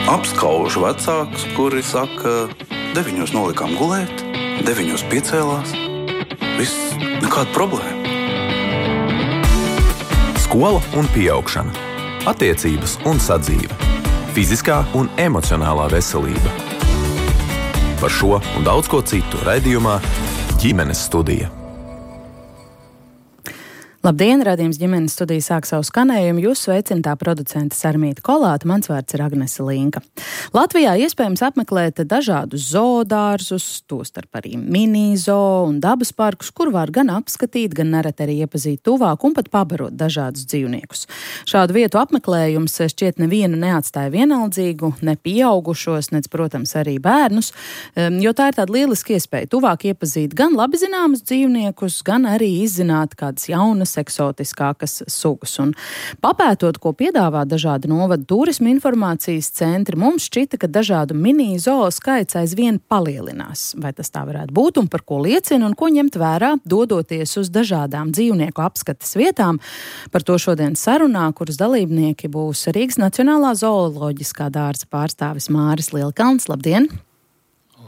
Apskaužu vecākus, kuri saka, 9 nolikām gulēt, 9 piecēlās. Viss, nekāda problēma. Skola un pieaugšana. Attiecības un sadzīve. Fiziskā un emocionālā veselība. Par šo un daudz ko citu raidījumā Ģimenes studija. Labdien, raidījums Ģimenes studija sāk savu skanējumu. Jūs sveicināta producente Sarmīta Kolāta, mans vārds ir Agnese Linka. Latvijā iespējams apmeklēt dažādus zoodārzus, tostarp arī mini-zoo un dabas parkus, kur var gan apskatīt, gan nereti arī iepazīt tuvāk un pat pabarot dažādus dzīvniekus. Šādu vietu apmeklējums šķiet nevienu neatstāja vienaldzīgu, ne pieaugušos, nec, protams, arī bērnus, jo tā ir tāda lieliska iespēja tuvāk iepazīt gan labi zināmus dzīvniekus, gan arī izzināt kādas jaunas eksotiskākas sugas. Un papētot, ko piedāvā dažādi novada turisma informācijas centri, mums šķita, ka dažādu mini-zoo skaits aizvien palielinās. Vai tas tā varētu būt un par ko liecina un ko ņemt vērā, dodoties uz dažādām dzīvnieku apskates vietām? Par to šodien sarunā, kuras dalībnieki būs Rīgas Nacionālā zooloģiskā dārza pārstāvis Māris Lielkalns. Labdien!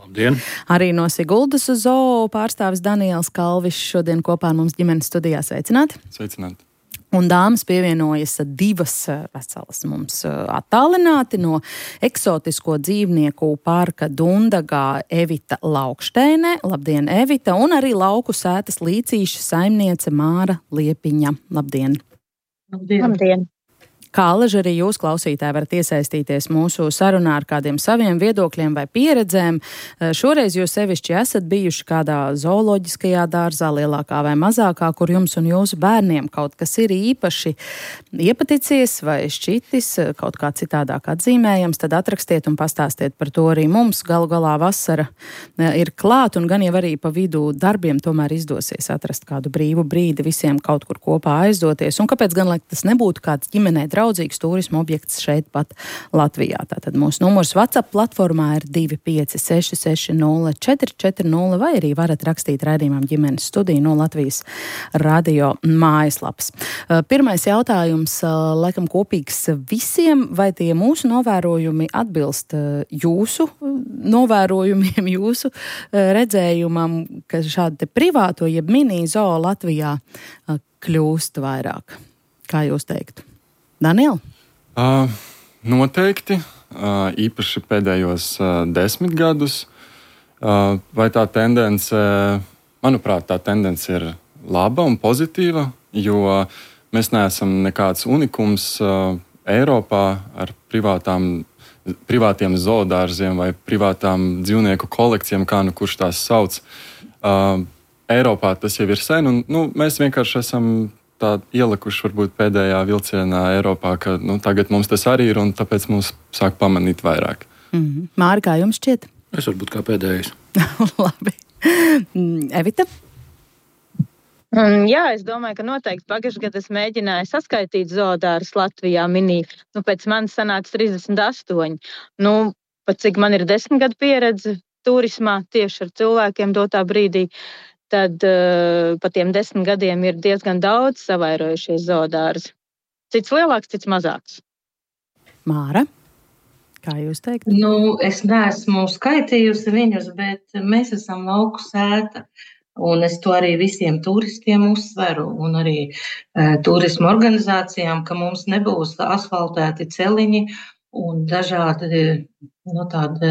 Labdien. Arī no Siguldas zoo pārstāvis Daniels Kalvišs šodien kopā ar mums ģimenes studijā. Sveicināti! Sveicināti! Un dāmas pievienojas divas veselas mums attālināti no eksotisko dzīvnieku parka Dundagā Evita Laukšteine. Labdien, Evita! Un arī lauku sētas līcīša saimniece Māra Liepiņa. Labdien! Labdien! Labdien. Kā alaži arī jūs, klausītāji, varat iesaistīties mūsu sarunā ar kādiem saviem viedokļiem vai pieredzēm. Šoreiz jūs sevišķi esat bijuši kādā zooloģiskajā dārzā, lielākā vai mazākā, kur jums un jūsu bērniem kaut kas ir īpaši iepaticies vai šķitis, kaut kā citādāk atzīmējams, tad atrakstiet un pastāstiet par to arī mums. Galu galā vasara ir klāt un gan jau arī pa vidu darbiem tomēr izdosies atrast kādu brīvu brīdi visiem kaut kur kopā aizdoties. Un kāpēc gan, lai tas nebūtu kāds ģimenē draudzīgs turisma objekts šeit pat Latvijā. Tātad mūsu numurs WhatsApp platformā ir 25660440 vai arī varat rakstīt raidījumam Ģimenes studiju no Latvijas radio mājaslapas. Pirmais jautājums, laikam kopīgs visiem, vai tie mūsu novērojumi atbilst jūsu novērojumiem, jūsu redzējumam, ka šādi te privāto jeb mini-zoo Latvijā kļūst vairāk? Kā jūs teiktu? Daniel? Noteikti, īpaši pēdējos 10 gadus. Vai tā tendence, manuprāt, tā tendence ir laba un pozitīva, jo mēs neesam nekāds unikums Eiropā ar privātiem zoodārziem vai privātām dzīvnieku kolekcijām, kā nu kurš tās sauc. Eiropā tas jau ir sen, un mēs vienkārši esam tā ielikuši varbūt pēdējā vilcienā Eiropā, ka tagad mums tas arī ir, un tāpēc mums sāk pamanīt vairāk. Māri, kā jums šķiet? Es varbūt kā pēdējais. Labi. Evita? Jā, es domāju, ka noteikti pagājušajā gadā es mēģināju saskaitīt zoodārzus Latvijā mini. Pēc manis sanāca 38. Pat cik man ir 10 gadu pieredze turismā tieši ar cilvēkiem dotā brīdī, tad pa tiem 10 gadiem ir diezgan daudz savairojušies zoodārzi. Cits lielāks, cits mazāks. Māra, kā jūs teikt? Es neesmu skaitījusi viņus, bet mēs esam lauku sēta. Un es to arī visiem turistiem uzsveru un arī turismu organizācijām, ka mums nebūs asfaltēti celiņi un dažādi tādi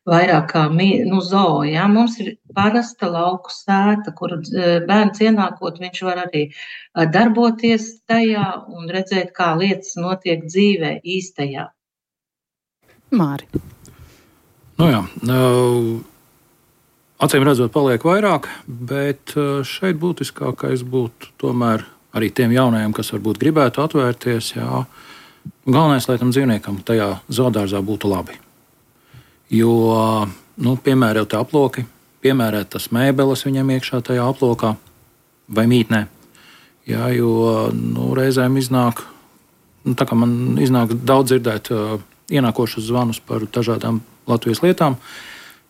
vairāk kā zoo. Ja? Mums ir parasta lauku sēta, kuru bērns ienākot, viņš var arī darboties tajā un redzēt, kā lietas notiek dzīvē īstajā. Māri. Acīm redzot, paliek vairāk, bet šeit būtiskākais būtu tomēr arī tiem jaunajiem, kas varbūt gribētu atvērties. Jā. Galvenais, lai tam dzīvniekam tajā zoodārzā būtu labi. Jo, piemērot aploki, piemērēt tas mēbeles viņam iekšā tajā aplokā vai mītnē. Jā, jo reizēm iznāk, tā kā man iznāk daudz dzirdēt ienākošus zvanus par dažādām Latvijas lietām,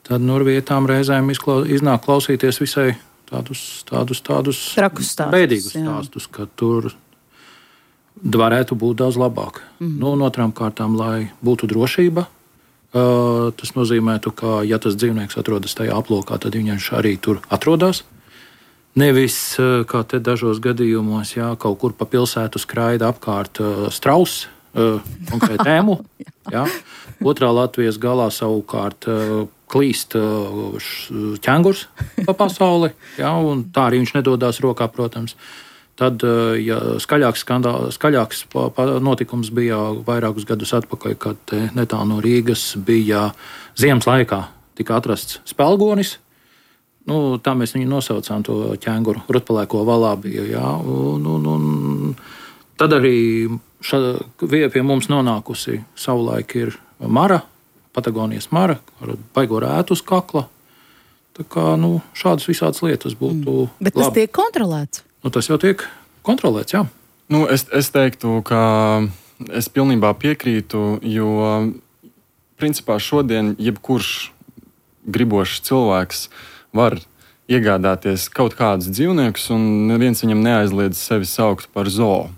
tad ar vietām reizēm iznāk klausīties visai tādus bēdīgus stāstus, ka tur varētu būt daudz labāk. Un otrām kārtām, lai būtu drošība Tas nozīmētu, ka, ja tas dzīvnieks atrodas tajā aplokā, tad viņš arī tur atrodas. Nevis, kā te dažos gadījumos, jā, kaut kur pa pilsētu skraida apkārt strauss, konkrēti ēmu. Jā. Otrā Latvijas galā savukārt klīst ķengurs pa pasauli, jā, un tā arī viņš nedodās rokā, protams. Tad, ja skaļāks notikums bija vairākus gadus atpakaļ, kad netālu no Rīgas bija ziemas laikā, tika atrasts spēlgonis. Tā mēs viņu nosaucām, to ķenguru, rutpalēko valā bija. Jā, un tad arī pie mums nonākusi savulaik ir mara, Patagonijas mara, ar baigo rētu uz kakla. Tā kā šādas visādas lietas būtu. Bet tas tiek kontrolēts? Tas jau tiek kontrolēts, jā. Es teiktu, ka es pilnībā piekrītu, jo principā šodien jebkurš gribošs cilvēks var iegādāties kaut kādus dzīvniekus, un neviens viņam neaizliedz sevi saukt par zoo.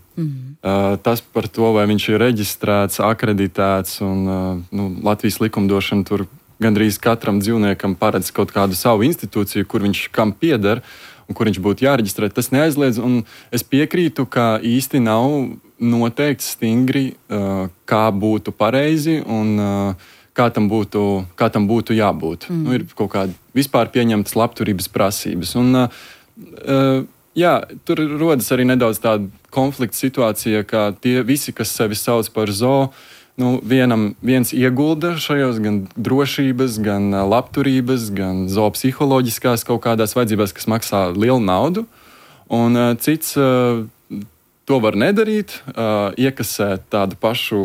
Tas par to, vai viņš ir reģistrēts, akreditēts, un Latvijas likumdošana tur gandrīz katram dzīvniekam paredz kaut kādu savu institūciju, kur viņš kam pieder un kur viņš būtu jāreģistrē. Tas neaizliedz, un es piekrītu, ka īsti nav noteikti stingri, kā būtu pareizi un kā tam būtu jābūt. Ir kaut kādi vispār pieņemtas labturības prasības. Un, tur rodas arī nedaudz tāda konflikta situācija, ka tie visi, kas sevi sauc par zoo, viens iegulda šajos gan drošības, gan labturības, gan zoopsiholoģiskās kaut kādās vajadzībās, kas maksā lielu naudu, un cits to var nedarīt, iekasēt tādu pašu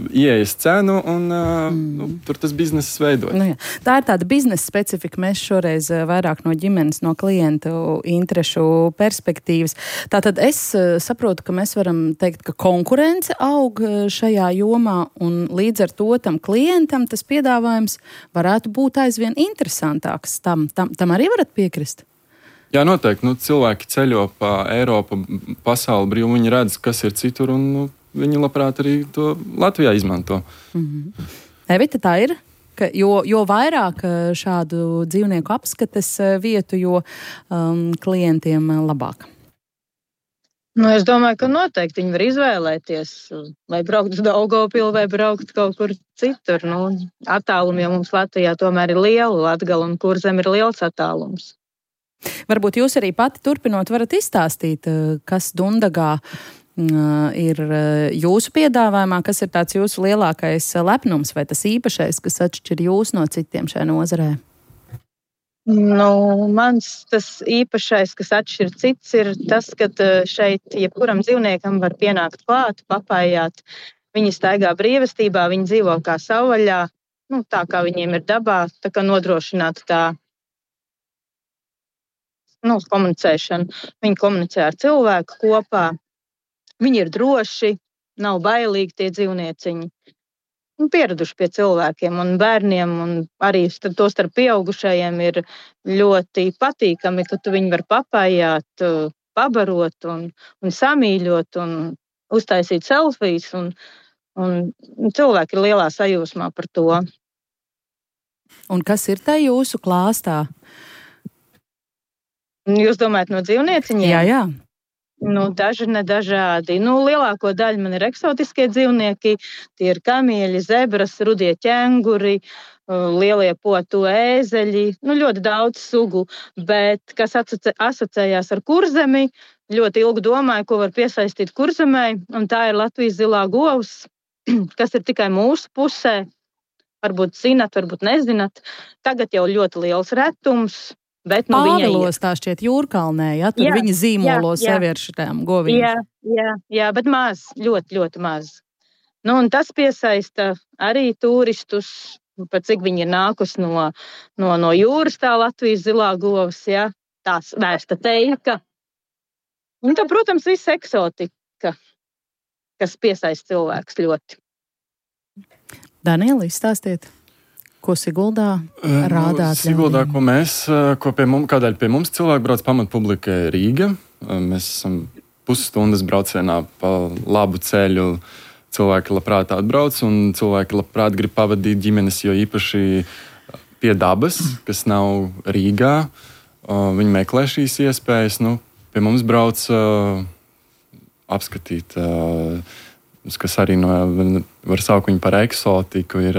ieejas cenu, un tur tas bizness veidojas. Tā ir tāda biznesa specifika. Mēs šoreiz vairāk no ģimenes, no klientu interešu perspektīvas. Tātad es saprotu, ka mēs varam teikt, ka konkurence aug šajā jomā, un līdz ar to tam klientam tas piedāvājums varētu būt aizvien interesantāks. Tam arī varat piekrist? Jā, noteikti. Cilvēki ceļo pa Eiropu, pasauli brīvi, viņi redz, kas ir citur, un viņi labprāt arī to Latvijā izmanto. Evita, tā ir? Jo vairāk šādu dzīvnieku apskates vietu, jo klientiem labāk. Es domāju, ka noteikti viņi var izvēlēties, vai braukt uz Daugavpilu, vai braukt kaut kur citur. Attālumi jau mums Latvijā tomēr ir liela, Latgala un Kurzeme ir liels attālums. Varbūt jūs arī pati turpinot varat izstāstīt, kas Dundagā ir jūsu piedāvājumā, kas ir tāds jūsu lielākais lepnums vai tas īpašais, kas atšķir jūs no citiem šajā nozarē? Mans tas īpašais, kas atšķir cits, ir tas, ka šeit jebkuram dzīvniekam var pienākt klāt, papājāt. Viņi staigā brīvestībā, viņi dzīvo kā savvaļā, tā kā viņiem ir dabā, tā kā nodrošināta tā komunicēšanu. Viņi komunicē ar cilvēku kopā. Viņi ir droši, nav bailīgi tie dzīvnieciņi. Pieraduši pie cilvēkiem un bērniem, un arī to starp pieaugušajiem ir ļoti patīkami, ka tu viņu var papājāt, pabarot un samīļot un uztaisīt selfijas. Un cilvēki ir lielā sajūsmā par to. Un kas ir tā jūsu klāstā? Jūs domājat no dzīvnieciņiem? Jā. Daži nedažādi. Lielāko daļu man ir eksotiskie dzīvnieki. Tie ir kamieļi, zebras, rudie ķenguri, lielie potu ēzeļi. Ļoti daudz sugu. Bet kas asociējās ar Kurzemi, ļoti ilgi domāju, ko var piesaistīt Kurzemei. Un tā ir Latvijas zilā govs, kas ir tikai mūsu pusē. Varbūt zinat, varbūt nezinat. Tagad jau ļoti liels retums. Pāvilos tā šķiet Jūrkalnē, ja? Tur viņi zīmolo sevi ar šitām goviņām. Jā, bet maz, ļoti, ļoti maz. Un tas piesaista arī turistus, par cik viņi ir nākus no jūras, tā Latvijas zilā govs, ja? Tās vērsta teika. Un tā, protams, viss eksotika, kas piesaista cilvēks ļoti. Daniela, izstāstiet. Ko Siguldā rādāt? Siguldā, kādēļ pie mums cilvēki brauc pamatpublika Rīga. Mēs esam pusstundas braucienā pa labu ceļu cilvēki labprāt atbrauc un cilvēki labprāt grib pavadīt ģimenes, jo īpaši pie dabas, kas nav Rīgā. Viņi meklē šīs iespējas. Pie mums brauc apskatīt, kas arī var saukt viņu par eksotiku. Ir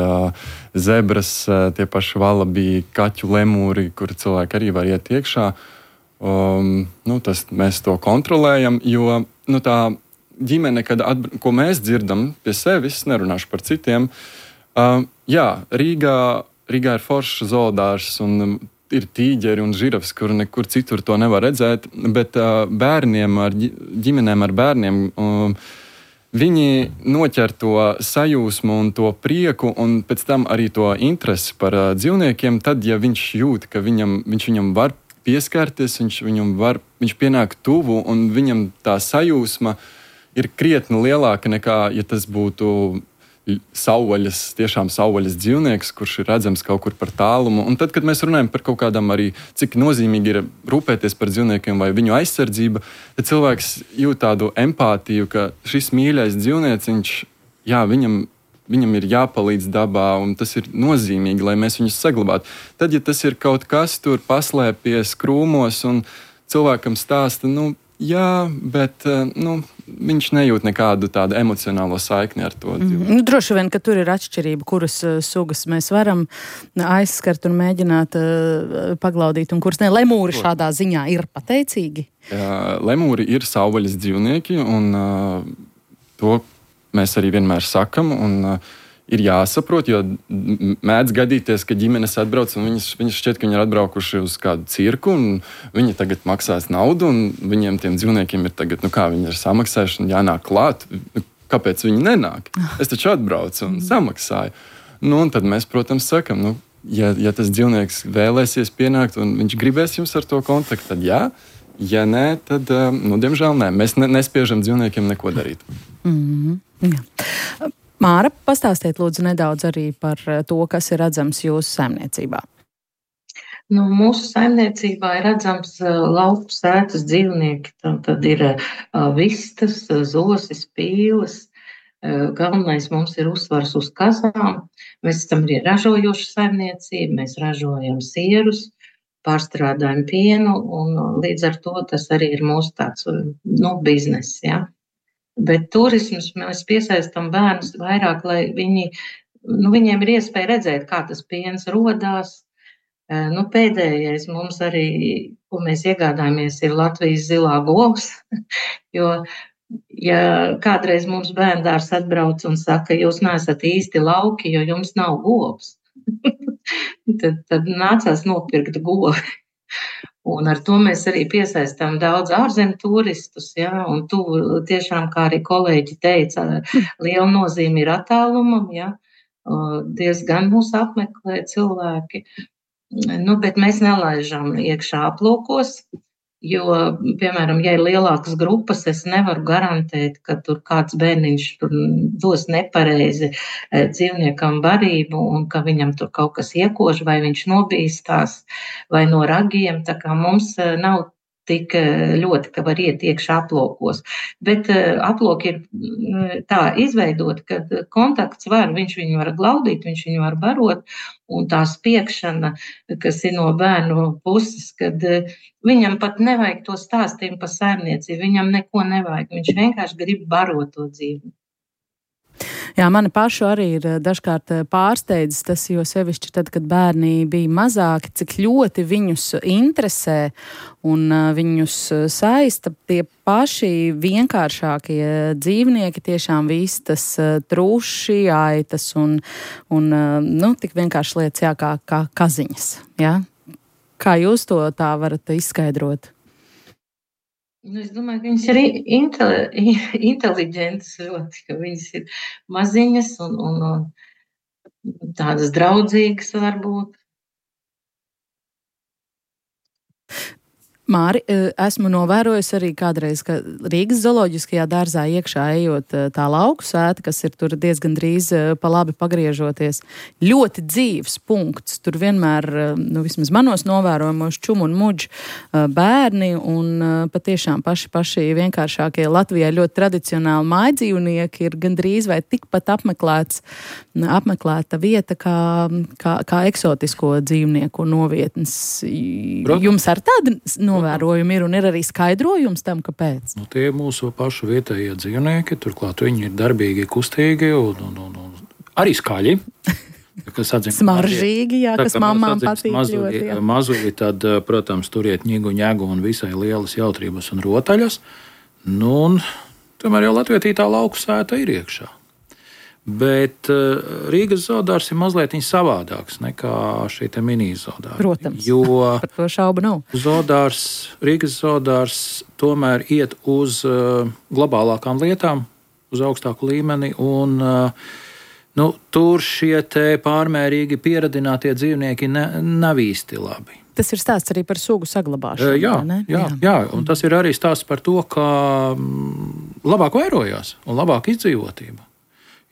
zebras, tie paši valabī, kaķu lemūri, kur cilvēki arī var iet iekšā. Mēs to kontrolējam, jo tā ģimene, ko mēs dzirdam pie sevis, nerunāšu par citiem, Rīgā ir foršs zoodārs un ir tīģeri un žirafs, kur nekur citur to nevar redzēt, bet ģimenēm ar bērniem viņi noķer to sajūsmu un to prieku un pēc tam arī to interesi par dzīvniekiem, tad, ja viņš jūt, ka viņš viņam var pieskarties, viņš pienāk tuvu un viņam tā sajūsma ir krietni lielāka nekā, ja tas būtu tiešām savvaļas dzīvnieks, kurš ir redzams kaut kur par tālumu. Un tad, kad mēs runājam par kaut kādām arī, cik nozīmīgi ir rūpēties par dzīvniekiem vai viņu aizsardzība, tad cilvēks jūt tādu empātiju, ka šis mīļais dzīvnieciņš, viņam ir jāpalīdz dabā, un tas ir nozīmīgi, lai mēs viņus saglabātu. Tad, ja tas ir kaut kas tur paslēpies krūmos, un cilvēkam stāsta, bet viņš nejūt nekādu tādu emocionālo saikni ar to dzīvnieku. Droši vien, ka tur ir atšķirība, kuras sugas mēs varam aizskart un mēģināt paglaudīt, un kuras ne. Lemūri šādā ziņā ir pateicīgi? Lemūri ir savvaļas dzīvnieki, un to mēs arī vienmēr sakam, un ir jāsaprot, jo mēdz gadīties, ka ģimenes atbrauc, un viņas šķiet, ka viņi ir atbraukuši uz kādu cirku, un viņi tagad maksās naudu, un viņiem tiem dzīvniekiem ir tagad, viņi ir samaksājuši un jānāk klāt. Kāpēc viņi nenāk? Es taču atbraucu un samaksāju. Un tad mēs, protams, sakam, ja tas dzīvnieks vēlēsies pienākt, un viņš gribēs jums ar to kontaktu, tad jā. Ja nē, tad, diemžēl nē. Mēs nespiežam dzīvniekiem neko darīt. Jā. Māra, pastāstiet lūdzu nedaudz arī par to, kas ir redzams jūsu saimniecībā. Mūsu saimniecībā ir redzams lauku sētas dzīvnieki. Tad ir vistas, zosis, pīles. Galvenais mums ir uzsvars uz kazām. Mēs esam arī ražojoša saimniecība, mēs ražojam sierus, pārstrādājam pienu, un līdz ar to tas arī ir mūsu tāds bizness, ja. Bet turisms mēs piesaistam bērnus vairāk, lai viņiem ir iespēja redzēt, kā tas piens rodās. Pēdējais mums arī, ko mēs iegādājamies, ir Latvijas zilā govs, jo, ja kādreiz mums bērndārs atbrauc un saka, jūs neesat īsti lauki, jo jums nav govs, tad nācās nopirkt govi. Un ar to mēs arī piesaistām daudz ārzemju turistus, ja, un tiešām, kā arī kolēģi teica, liela nozīme ir attālumam, ja, diezgan mūs apmeklē cilvēki, bet mēs nelaižam iekšā aplūkos, jo, piemēram, ja ir lielākas grupas, es nevaru garantēt, ka tur kāds bērniņš tur dos nepareizi dzīvniekam barību un ka viņam tur kaut kas iekož vai viņš nobīstās vai no ragiem, tā kā mums nav tik ļoti, ka var iet iekšā aplokos. Bet aploki ir tā izveidot, ka kontakts viņš viņu var glaudīt, viņš viņu var barot, un tā spiekšana, kas ir no bērnu puses, kad viņam pat nevajag to stāstījumu par saimniecību, viņam neko nevajag, viņš vienkārši grib barot to dzīvi. Jā, mani pašu arī ir dažkārt pārsteidzis tas, jo sevišķi tad, kad bērni bija mazāki, cik ļoti viņus interesē un viņus saista tie paši vienkāršākie dzīvnieki, tiešām vistas, truši, aitas un tik vienkārši lietas, jā, kā kaziņas. Jā? Kā jūs to tā varat izskaidrot? Es domāju, ka viņas ir inteliģentas ļoti, ka viņas ir maziņas un tādas draudzīgas varbūt. Māri, esmu novērojusi arī kādreiz, ka Rīgas zooloģiskajā dārzā iekšā ejot tā lauku sēta, kas ir tur diezgan drīz pa labi pagriežoties, ļoti dzīves punkts. Tur vienmēr, vismaz manos novērojumos, čumu un muģu bērni un patiešām paši vienkāršākie Latvijā ļoti tradicionāli mājdzīvnieki ir gandrīz vai tikpat apmeklēta vieta kā eksotisko dzīvnieku novietnes. Jums ar tādu novērojumi ir un ir arī skaidrojums tam, kāpēc? Tie ir mūsu pašu vietējie dzīvnieki, turklāt viņi ir darbīgi, kustīgi un arī skaļi. Smaržīgi, jā, kas mamām patīk ļoti. Mazuļi, tad, protams, turiet ņigu, ņegu un visai lielas jautrības un rotaļas. Un tomēr jau latvietītā lauku sēta ir iekšā. Bet Rīgas zoodārs ir mazliet savādāks nekā šī mini zoodārs. Protams, par to šaubu nav. Rīgas zoodārs tomēr iet uz globālākām lietām, uz augstāku līmeni, un tur šie pārmērīgi pieradinātie dzīvnieki nav īsti labi. Tas ir stāsts arī par sugu saglabāšanu. Jā, un tas ir arī stāsts par to, ka labāk vairojās un labāk izdzīvotība.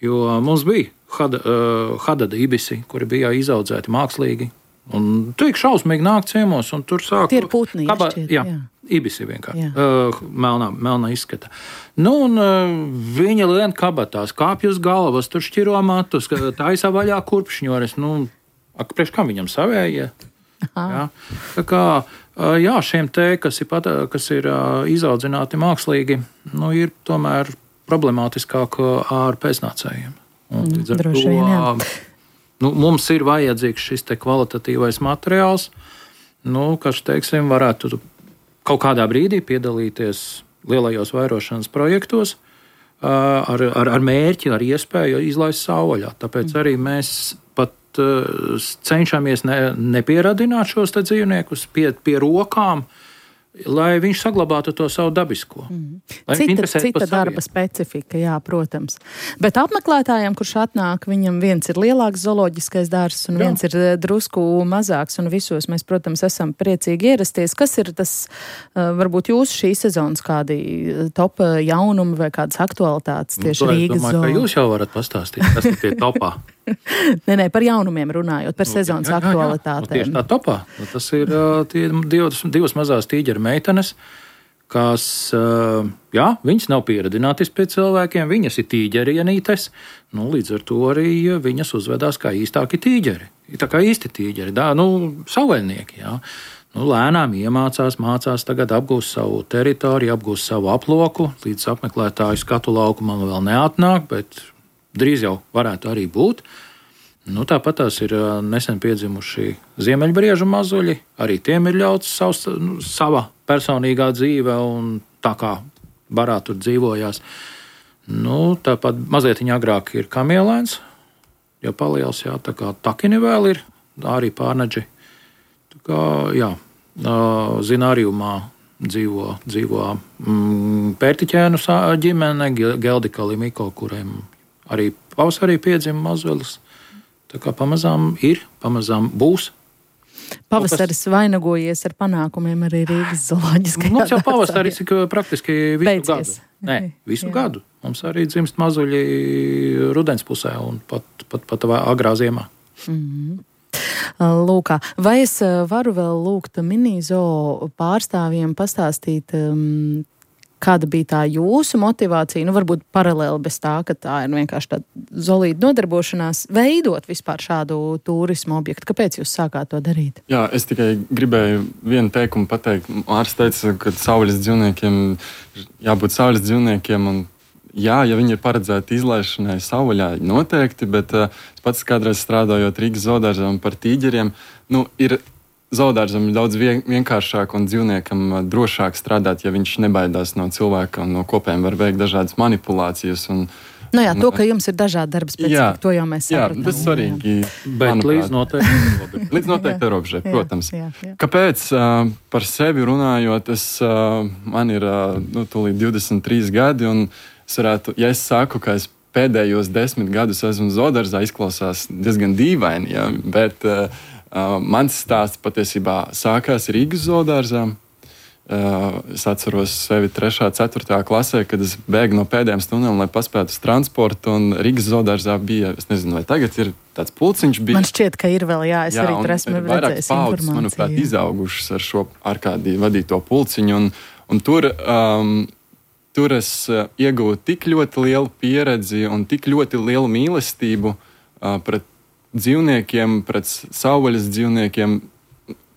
Jo mums bija hadada ibisi, kuri bija izaudzēti mākslīgi. Un tik šausmīgi nāk ciemos, un tur sāk... Tie ir putni, jā. Ibisi vienkārši. Melnā izskata. Viņa lien kabatās, kāpj uz galvas, tur šķiro matus, taisa vaļā kurpšņores. Priekš kam viņam savējie? Jā. Tā kā, šiem kas ir izaudzināti mākslīgi, ir tomēr problemātiskāk ar pēcnācējiem. Droši vien, jā. Mums ir vajadzīgs šis kvalitatīvais materiāls, kas, teiksim, varētu kaut kādā brīdī piedalīties lielajos vairošanas projektos ar mērķi, ar iespēju izlaist savvaļā. Tāpēc arī mēs pat cenšamies nepieradināt šos dzīvniekus pie rokām, lai viņš saglabātu to savu dabisko. Cita darba specifika, jā, protams. Bet apmeklētājiem, kurš atnāk, viņam viens ir lielāks zooloģiskais dārzs un viens ir drusku mazāks, un visos mēs, protams, esam priecīgi ierasties. Kas ir tas, varbūt jūsu šīs sezonas kādi top jaunumi vai kādas aktualitātes tieši Rīgas zoo? Es domāju, ka jūs jau varat pastāstīt, kas ir tie topā. Nē, par jaunumiem runājot, par sezonas aktualitātēm. Tieši tā topā. Tas ir tie divas mazās tīģeru meitenes, kas, viņas nav pieradinātas pie cilvēkiem, viņas ir tīģerienītes, līdz ar to arī viņas uzvedās kā īstāki tīģeri. Tā kā īsti tīģeri, savvaļnieki, jā. Lēnām mācās tagad apgūst savu teritoriju, apgūst savu aploku, līdz apmeklētāju skatu laukumam vēl neatnāk, bet drīz jau varētu arī būt. Tāpat tās ir nesen piedzimuši ziemeļbriežu mazuļi. Arī tiem ir ļauts sava personīgā dzīve un tā kā barā tur dzīvojās. Tāpat mazliet agrāk ir kamielēns, jau paliels, tā kā takini vēl ir, arī pārneģi. Tā kā, zinārījumā dzīvo pērtiķēnu ģimene, Geldika Limiko, kuriem arī pavasarī piedzima mazulis. Tā kā pamazām būs. Pavasaris vainagojies ar panākumiem arī Rīgas zooloģiskajā dārzā. Mums jau pavasaris ir praktiski visu gadu. Mums arī dzimst mazuļi rudens pusē un pat agrā ziemā. Lūkā, vai es varu vēl lūgt mini-zoo pārstāvjiem pastāstīt, kāda bija tā jūsu motivācija, varbūt paralēli bez tā, ka tā ir vienkārši tāda zolīta nodarbošanās, veidot vispār šādu turismu objektu? Kāpēc jūs sākāt to darīt? Jā, es tikai gribēju vienu teikumu pateikt. Ārsts teica, ka savvaļas dzīvniekiem jābūt savvaļas dzīvniekiem, un jā, ja viņi ir paredzēti izlaišanai savvaļā, noteikti, bet es pats kādreiz strādājot Rīgas zoodārzam par tīģeriem, ir zoodārzam daudz vienkāršāk un dzīvniekam drošāk strādāt, ja viņš nebaidās no cilvēka un no kopiem var veikt dažādas manipulācijas. To, ka jums ir dažādi darba specifika, to jau mēs sapratām. Jā, tas ir svarīgi. Bet līdz noteikti robežai, protams. Jā. Kāpēc par sevi runājot, man ir tūlīt 23 gadi, un es varētu, ja es saku, ka es pēdējos 10 gadus esmu zoodārzā, izklausās diezgan dīvaini, bet mans stāsts patiesībā sākās Rīgas zoodārzā. Es atceros sevi 3., 4. klasē, kad es bēgu no pēdējām stundām, lai paspētu uz transportu, un Rīgas zoodārzā bija, es nezinu, vai tagad ir tāds pulciņš. Man šķiet, ka ir vēl, es arī tur esmu redzējis vairāk paudzes, manuprāt, izaugušas ar šo Arkādiju vadīto pulciņu, un tur es ieguvu tik ļoti lielu pieredzi un tik ļoti lielu mīlestību pret dzīvniekiem, pret savvaļas dzīvniekiem,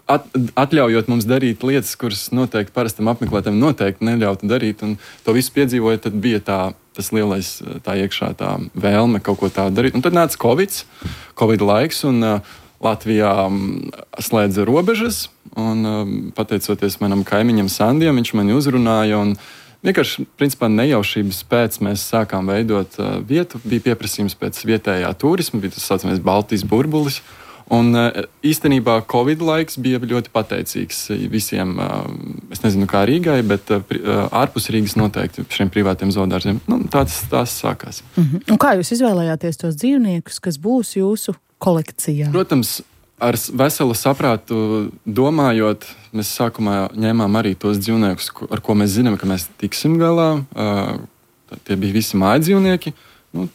atļaujot mums darīt lietas, kuras noteikti parastam apmeklētājam noteikti neļautu darīt, un to visu piedzīvojot, tad bija tas lielais tā iekšā tā vēlme kaut ko tādu darīt. Un tad nāca Covid laiks, un Latvijā slēdza robežas, un pateicoties manam kaimiņam Sandijam, viņš mani uzrunāja, un vienkārši, principā, nejaušības pēc mēs sākām veidot vietu, bija pieprasījums pēc vietējā turisma, bija tas saucamais Baltijas burbulis. Un īstenībā Covid laiks bija ļoti pateicīgs visiem, es nezinu kā Rīgai, bet ārpus Rīgas noteikti šiem privātiem zoodārziem. Tās sākās. Un kā jūs izvēlējāties tos dzīvniekus, kas būs jūsu kolekcijā? Protams, ar veselu saprātu domājot, mēs sākumā ņēmām arī tos dzīvniekus, ar ko mēs zinām, ka mēs tiksim galā. Tie bija visi mājdzīvnieki.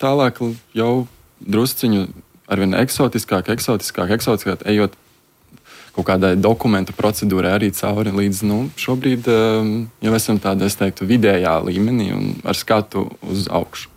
Tālāk jau drusciņu arvien eksotiskāk, ejot kaut kādai dokumentu procedūrai arī cauri līdz, šobrīd jau esam tādā, es teiktu, vidējā līmenī un ar skatu uz augšu.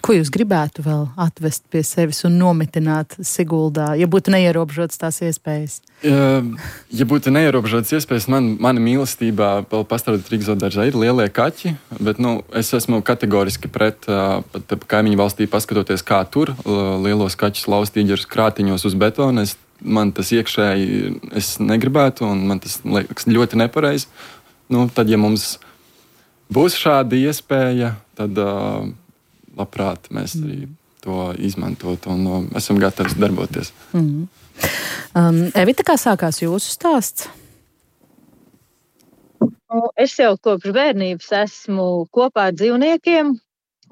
Ko jūs gribētu vēl atvest pie sevis un nometināt Siguldā, ja būtu neierobežotas tās iespējas? Ja būtu neierobežotas iespējas, mana mīlestībā vēl pastrādāt Rīgas zoodārzā ir lielie kaķi, bet es esmu kategoriski pret pat kaimiņu valstī paskatoties, kā tur lielos kaķus laust ieģerus krātiņos uz betona. Man tas iekšēji es negribētu, un man tas liekas ļoti nepareizi. Tad, ja mums būs šāda iespēja, tad labprāt mēs arī to izmantot un esam gatavi darboties. Evita, kā sākās jūsu stāsts? Es jau kopš bērnības esmu kopā ar dzīvniekiem.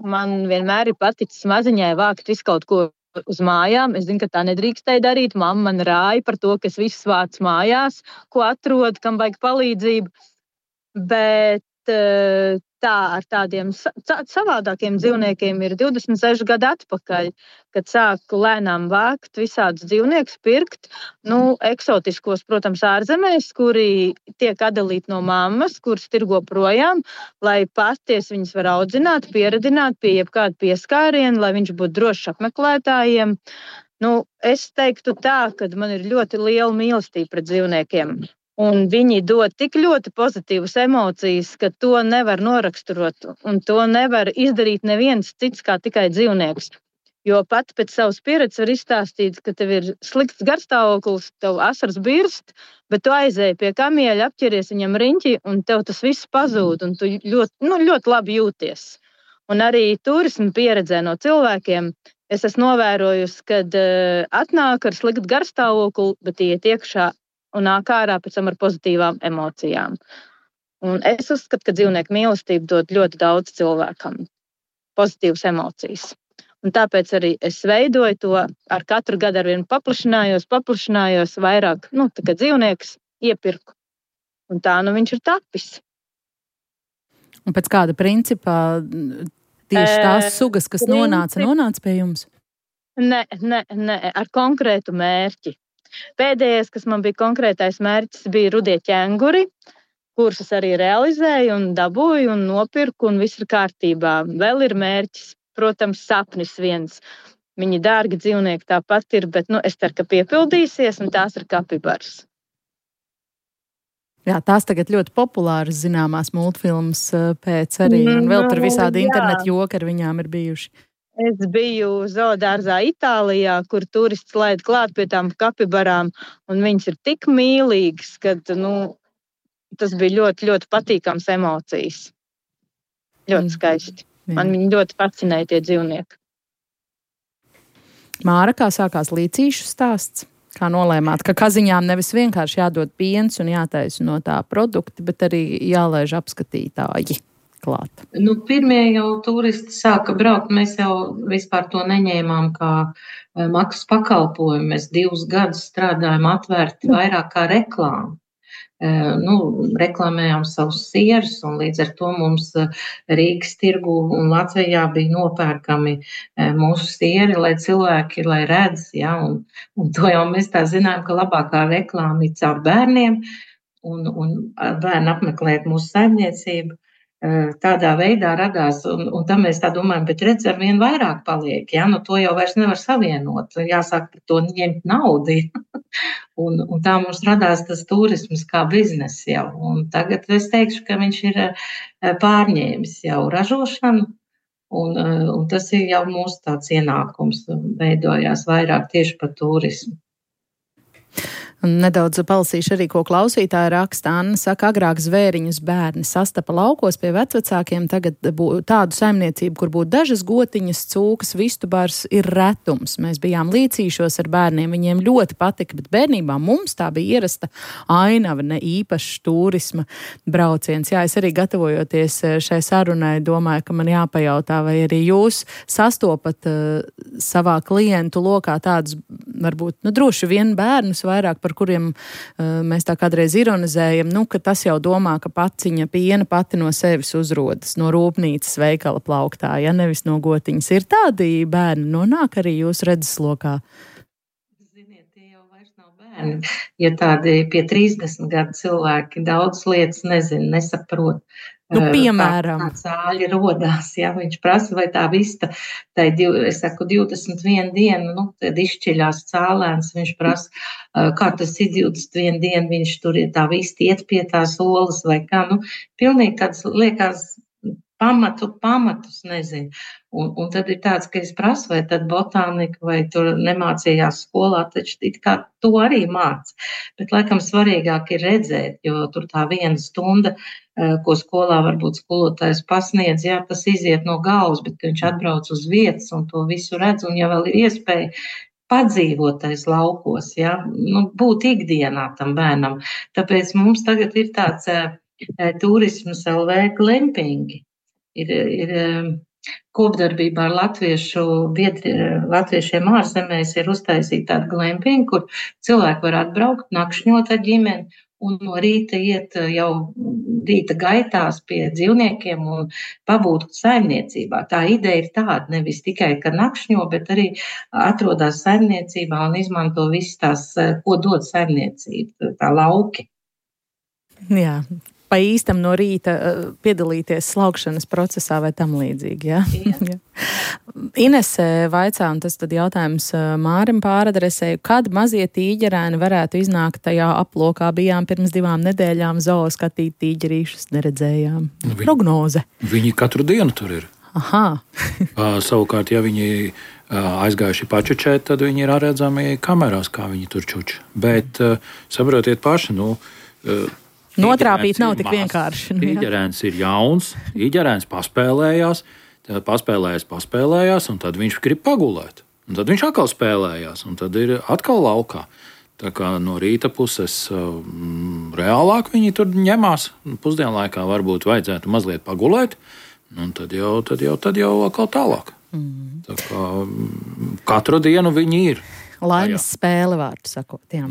Man vienmēr ir paticis maziņai vākt visu kaut ko uz mājām. Es zinu, ka tā nedrīkstēja darīt. Mamma man rāja par to, ka es visus vācu mājās, ko atrodu, kam vajag palīdzību. Bet ar tādiem savādākiem dzīvniekiem ir 26 gadi atpakaļ, kad sāku lēnām vākt visādus dzīvniekus, pirkt, eksotiskos, protams, ārzemēs, kuri tiek atdalīti no mammas, kuras tirgo projām, lai pasties viņus var audzināt, pieredināt pie jebkāda pieskāriena, lai viņš būtu drošs apmeklētājiem. Es teiktu tā, ka man ir ļoti liela mīlestība pret dzīvniekiem. Un viņi dod tik ļoti pozitīvas emocijas, ka to nevar noraksturot, un to nevar izdarīt neviens cits kā tikai dzīvnieks. Jo pat pēc savas pieredzes var izstāstīt, ka tev ir slikts garstāvoklis, tev asaras birst, bet tu aizēji pie kamieļa, apķeries viņam riņķi, un tev tas viss pazūd, un tu ļoti labi jūties. Un arī turismu pieredzē no cilvēkiem es esmu novērojusi, kad atnāk ar sliktu garstāvokli, bet iet iekšā un nāk ārā pēc tam ar pozitīvām emocijām. Un es uzskatu, ka dzīvnieku mīlestība dod ļoti daudz cilvēkam pozitīvas emocijas. Un tāpēc arī es veidoju to, ar katru gadu arvien paplašinājos vairāk, tā kā dzīvnieks iepirku. Un tā viņš ir tapis. Un pēc kāda principā tieši tās sugas, kas nonāca pie jums? Nē, ar konkrētu mērķi. Pēdējais, kas man bija konkrētais mērķis, bija rudie ķenguri, kurus es arī realizēju un dabūju un nopirku, un viss ir kārtībā. Vēl ir mērķis, protams, sapnis viens. Viņi dārgi dzīvnieki tāpat ir, bet es ceru, ka piepildīsies, un tās ir kapibaras. Jā, tās tagad ļoti populāras zināmās multfilmas pēc arī, un vēl tur visādi internetu joki ar viņām ir bijuši. Es biju zoodārzā Itālijā, kur turisti laid klāt pie tām kapibarām, un viņas ir tik mīlīgas, ka tas bija ļoti, ļoti patīkams emocijas. Ļoti skaisti. Man viņi ļoti fascinēja tie dzīvnieki. Māra, kā sākās līcīšu stāsts? Kā nolēmāt, ka kaziņām nevis vienkārši jādod piens un jātaisa no tā produkti, bet arī jālaiž apskatītāji klāt? Pirmie jau turisti sāka braukt, mēs jau vispār to neņēmām kā maksas pakalpojumu. Mēs 2 gadus strādājam atvērti vairāk kā reklāmu. reklamējām savus sierus, un līdz ar to mums Rīgas tirgu un Latvijā bija nopērkami mūsu sieri, lai cilvēki, lai redz, ja, un to jau mēs tā zinām, ka labākā reklāma ir caur bērniem, un bērni apmeklēt mūsu saimniecību. Tādā veidā radās, un tam mēs tā domājam, bet redz, ar vien vairāk paliek, ja, to jau vairs nevar savienot, jāsāk par to ņemt naudu, un tā mums radās tas turisms kā biznes jau, un tagad es teikšu, ka viņš ir pārņēmis jau ražošanu, un tas ir jau mūsu tāds ienākums, veidojās vairāk tieši par turismu. Nedaudz palasīšu arī, ko klausītāja raksta. Anna saka, agrāk zvēriņus bērni sastapa laukos pie vecvecākiem, tagad tādu saimniecību, kur būtu dažas gotiņas, cūkas, vistubars, ir retums. Mēs bijām līcīšos ar bērniem, viņiem ļoti patika, bet bērnībā mums tā bija ierasta ainava, ne īpašs turisma brauciens. Jā, es arī gatavojoties šai sarunai domāju, ka man jāpajautā, vai arī jūs sastopat savā klientu lokā tādus, varbūt, droši vien bērnus vairāk, par kuriem mēs tā kādreiz ironizējam, ka tas jau domā, ka paciņa piena pati no sevis uzrodas, no rūpnīcas veikala plauktā, ja nevis no gotiņas. Ir tādi bērni, nonāk arī jūsu redzeslokā? Ziniet, tie jau vairs nav bērni. Ja tādi pie 30 gadu cilvēki daudz lietas nesaprot. Piemēram. Kā cāļi rodās, ja viņš prasa, vai tā vista, es saku 21 dienu, tad izšķiļās cālēns, viņš prasa, kā tas ir 21 dienu, viņš tur ir tā vista iet pie tās olas, vai kā, pilnīgi tāds liekas pamatus nezinu. Un tad ir tāds, ka es prasu, vai tad botānika, vai tur nemācījās skolā, taču it kā to arī māc. Bet laikam svarīgāk ir redzēt, jo tur tā 1 stunda, ko skolā varbūt skolotājs pasniedz, jā, tas iziet no galvas, bet viņš atbrauc uz vietas un to visu redz, un ja vēl ir iespēja padzīvotais laukos, jā, būt ikdienā tam bērnam. Tāpēc mums tagad ir tāds turismas LV glampingi. Ir kopdarbībā ar latviešiem ārzemēs ir uztaisīta tāda glampinga, kur cilvēki var atbraukt, nakšņot ar ģimeni un no rīta iet jau rīta gaitās pie dzīvniekiem un pabūt saimniecībā. Tā ideja ir tāda, nevis tikai, ka nakšņo, bet arī atrodas saimniecībā un izmanto visas tās, ko dod saimniecība, tā lauki. Jā. Pa īstam no rīta piedalīties slaukšanas procesā vai tam līdzīgi, jā? Jā. Inese vaicā, un tas tad jautājums Mārim pāradresēju, kad mazie tīģerēni varētu iznākt tajā aplokā? Bijām pirms 2 nedēļām zoo skatīt tīģerīšus, neredzējām. Prognoze. Viņi katru dienu tur ir. Aha. Savukārt, ja viņi aizgājuši pačučēt, tad viņi ir redzami kamerās, kā viņi tur čuč. Bet saprotiet paši, notrāpīt nav tik vienkārši. Tīģerēns ir jauns, tīģerēns paspēlējās, un tad viņš grib pagulēt. Un tad viņš atkal spēlējās, un tad ir atkal laukā. Tā kā no rīta puses reālāk viņi tur ņemās. Pusdienlaikā varbūt vajadzētu mazliet pagulēt, un tad jau atkal tālāk. Tā kā katru dienu viņi ir. Laimes spēle, vārdu sakot, jā.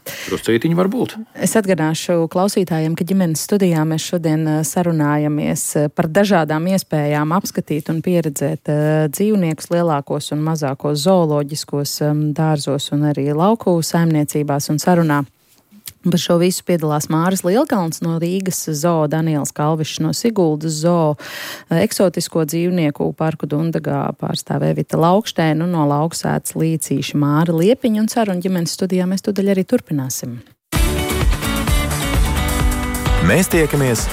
Druscītiņi var būt. Es atgādināšu klausītājiem, ka ģimenes studijā mēs šodien sarunājamies par dažādām iespējām apskatīt un pieredzēt dzīvniekus lielākos un mazākos zooloģiskos dārzos un arī lauku saimniecībās un sarunā. Par šo visu piedalās Māris Lielkalns no Rīgas zoo, Daniels Kalvišs no Siguldas zoo, eksotisko dzīvnieku parku Dundagā pārstāv Evita Laukštēna un no lauksētas līcīša Māra Liepiņa, un sarunu ģimenes studijā mēs tūdaļ arī turpināsim. Mēs tiekamies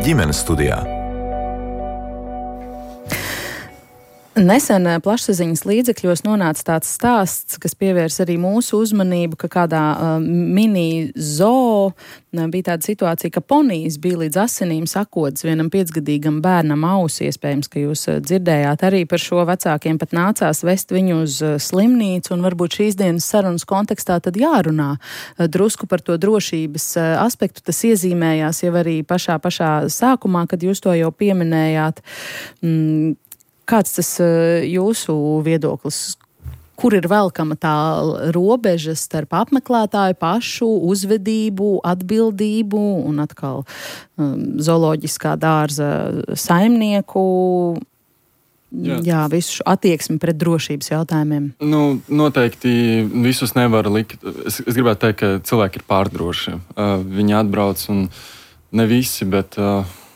ģimenes studijā. Nesen plašsaziņas līdzekļos nonāca tāds stāsts, kas pievērs arī mūsu uzmanību, ka kādā mini zoo bija tāda situācija, ka ponijas bija līdz asinīm sakotas vienam 5-gadīgam bērnam ausi. Iespējams, ka jūs dzirdējāt arī par šo, vecākiem pat nācās vest viņu uz slimnīcu, un varbūt šīs dienas sarunas kontekstā tad jārunā drusku par to drošības aspektu. Tas iezīmējās jau arī pašā sākumā, kad jūs to jau pieminējāt. Kāds tas jūsu viedoklis? kur ir velkama tā robeža starp apmeklētāju pašu uzvedību, atbildību un atkal zooloģiskā dārza saimnieku. Jā, visu attieksmi pret drošības jautājumiem. Noteikti visus nevar likt. Es gribētu teikt, ka cilvēki ir pārdroši. Viņi atbrauc un ne visi, bet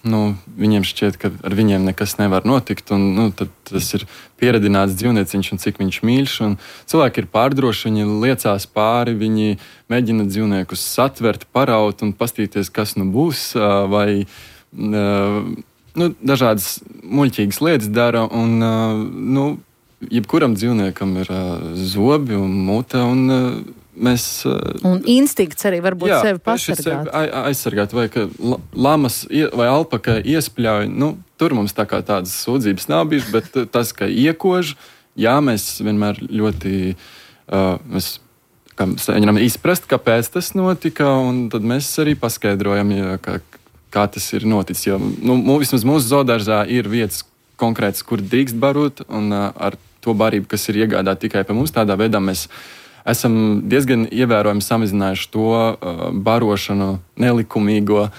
viņiem šķiet, ka ar viņiem nekas nevar notikt. Un, tad tas ir pieredināts dzīvnieciņš un cik viņš mīļš. Un cilvēki ir pārdroši, viņi liecās pāri, viņi mēģina dzīvniekus satvert, paraut un pastīties, kas būs. Vai dažādas muļķīgas lietas dara, un jebkuram dzīvniekam ir zobi un mute, un mēs... Un instinkts arī varbūt sevi pasargāt. Aizsargāt, vai ka lamas vai alpaka iespļauj, tur mums tā kā tādas sūdzības nav bijušas, bet tas, ka iekož, mēs vienmēr ļoti... Mēs mēģinām izprast, kāpēc tas notika, un tad mēs arī paskaidrojam, kā tas ir noticis. Jo, vismaz mūsu zoodārzā ir vietas konkrētas, kur drīkst barot, un ar to barību, kas ir iegādāta tikai pie mums, tādā veidā mēs esam diezgan ievērojami samazinājuši to barošanu nelikumīgo,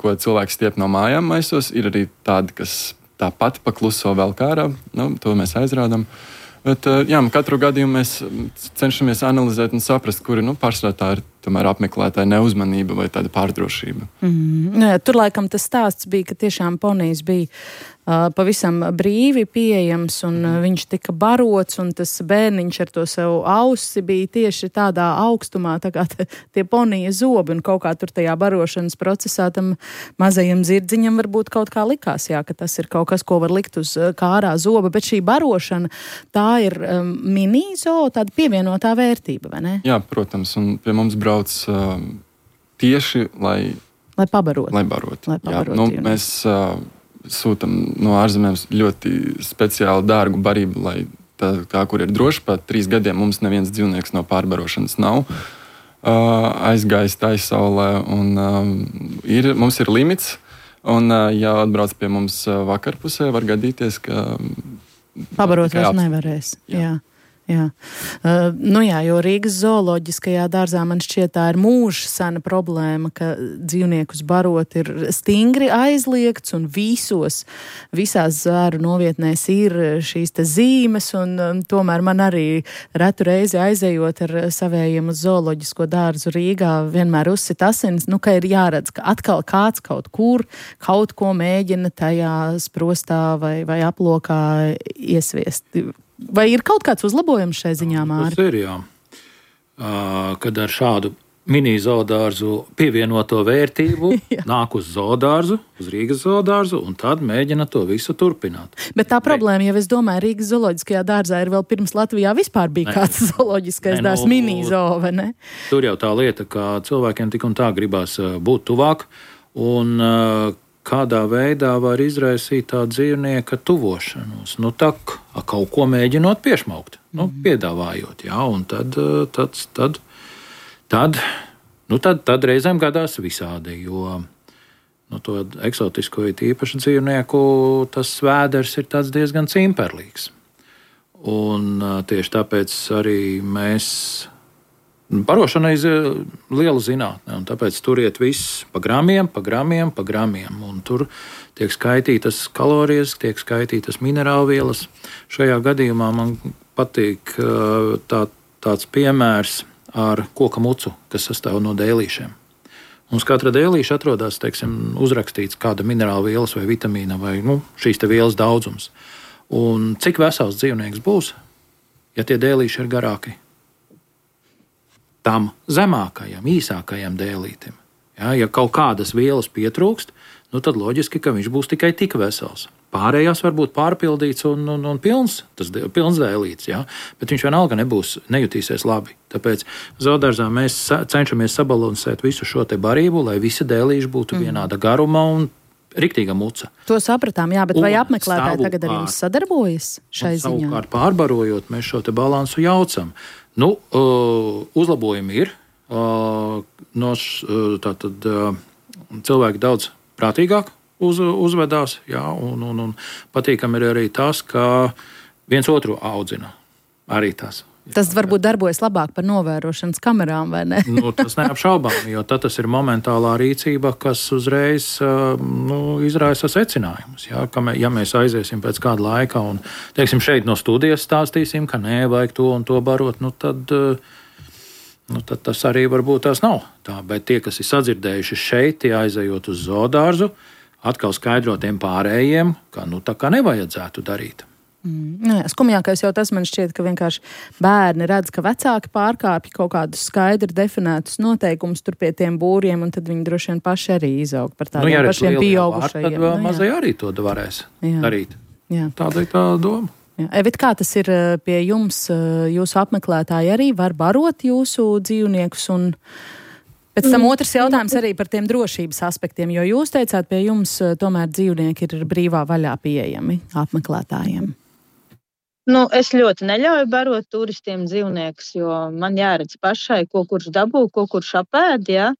ko cilvēks stiep no mājām maisos. Ir arī tādi, kas tāpat pakluso vēl kārā, to mēs aizrādām. Bet, katru gadījumu mēs cenšamies analizēt un saprast, kuri pārsvarā tā ir tomēr apmeklētāja neuzmanība vai tāda pārdrošība. Tur laikam tas stāsts bija, ka tiešām ponijs bija pavisam brīvi pieejams un viņš tika barots un tas bērniņš ar to savu ausi bija tieši tādā augstumā, tā kā tie ponija zobi un kaut kā tur tajā barošanas procesā tam mazajam zirdziņam varbūt kaut kā likās, ka tas ir kaut kas, ko var likt uz kārā zoba, bet šī barošana, tā ir mini-zoo, tāda pievienotā vērtība, vai ne? Jā, protams, un pie mums brauc tieši, lai pabarotu. Lai barotu. Mēs sūtam no ārzemēm ļoti speciāli dārgu barību, lai tā, kur ir droši, pat 3 gadiem mums neviens dzīvnieks no pārbarošanas nav aizgājis taissaulē, un mums ir limits, un ja atbrauc pie mums vakarpusē, var gadīties, ka pabarot vairs nevarēs. Jā. Jo Rīgas zooloģiskajā dārzā man šķiet tā ir mūža sena problēma, ka dzīvniekus barot ir stingri aizliegts un visās zvēru novietnēs ir šīs te zīmes, un tomēr man arī retu reizi aizejot ar savējiem uz zooloģisko dārzu Rīgā vienmēr uzsit asins, ka ir jāredz, ka atkal kāds kaut kur kaut ko mēģina tajā sprostā vai aplokā iesviest. Vai ir kaut kāds uzlabojums šai ziņā, Māri? Tas ir, jā. Kad ar šādu mini-zoodārzu pievienoto vērtību nāk uz zoodārzu, uz Rīgas zoodārzu, un tad mēģina to visu turpināt. Bet tā problēma, ja es domāju, Rīgas zooloģiskajā dārzā ir vēl pirms Latvijā vispār bija kāds zooloģiskais dārzs mini-zoo, vai ne? Tur jau tā lieta, ka cilvēkiem tik un tā gribās būt tuvāk, un kādā veidā var izraisīt tā dzīvnieka tuvošanos. Kaut ko mēģinot piešmaukt, piedāvājot, un tad reizēm gadās visādi, jo to eksotisko īpašu dzīvnieku tas vēders ir tāds diezgan cimperlīgs. Un tieši tāpēc arī mēs barošana ir liela zinātne, un tāpēc tur iet viss pa gramiem, un tur tiek skaitītas kalorijas, tiek skaitītas minerālvielas. Šajā gadījumā man patīk tāds piemērs ar koka mucu, kas sastāv no dēlīšiem. Mums katra dēlīša atrodas, uzrakstīts kāda minerālvielas vai vitamīna vai šīs te vielas daudzums. Un cik vesels dzīvnieks būs, ja tie dēlīši ir garāki? Tam zemākajam, īsākajam dēlītim. Ja kaut kādas vielas pietrūkst, tad loģiski, ka viņš būs tikai tik vesels. Pārējās var būt pārpildīts un pilns dēlīts, bet viņš vienalga nejutīsies labi. Tāpēc zoodārzā mēs cenšamies sabalansēt visu šo te barību, lai visi dēlīši būtu vienāda garuma un riktīga muca. To sapratām, bet vai apmeklētāji tagad ar jums sadarbojas šai ziņā? Savukārt pārbarojot, mēs šo te balansu jaucam. Uzlabojumi ir. Cilvēki daudz prātīgāk uzvedās, un patīkami ir arī tas, ka viens otru audzina. Arī tas. Tas varbūt darbojas labāk par novērošanas kamerām, vai ne? Tas neapšaubām, jo tad tas ir momentālā rīcība, kas uzreiz izraisa secinājumus. Ja mēs aiziesim pēc kāda laika un, teiksim, šeit no studijas stāstīsim, ka nē, vajag to un to barot, tad tas arī varbūt tās nav tā. Bet tie, kas ir sadzirdējuši šeit, tie aizejot uz zoodārzu, atkal skaidro tiem pārējiem, ka tā kā nevajadzētu darīt. Skumjākais jau tas man šķiet, ka vienkārši bērni redz, ka vecāki pārkāpj kaut kādus skaidri definētus noteikumus tur pie tiem būriem, un tad viņi droši vien paši arī izaug par tādiem pašiem pieaugušajiem. Tad mazai arī to varēs darīt. Jā. Tāda ir tā doma. Jā. Evita, kā tas ir pie jums? Jūsu apmeklētāji arī var barot jūsu dzīvniekus, un pēc tam otrs jautājums arī par tiem drošības aspektiem, jo jūs teicāt, pie jums tomēr dzīvnieki ir brīvā vaļā pieejami apmeklētājiem. Es ļoti neļauju barot turistiem dzīvniekus, jo man jāredz pašai, ko kurš dabū, ko kurš apēd, ja?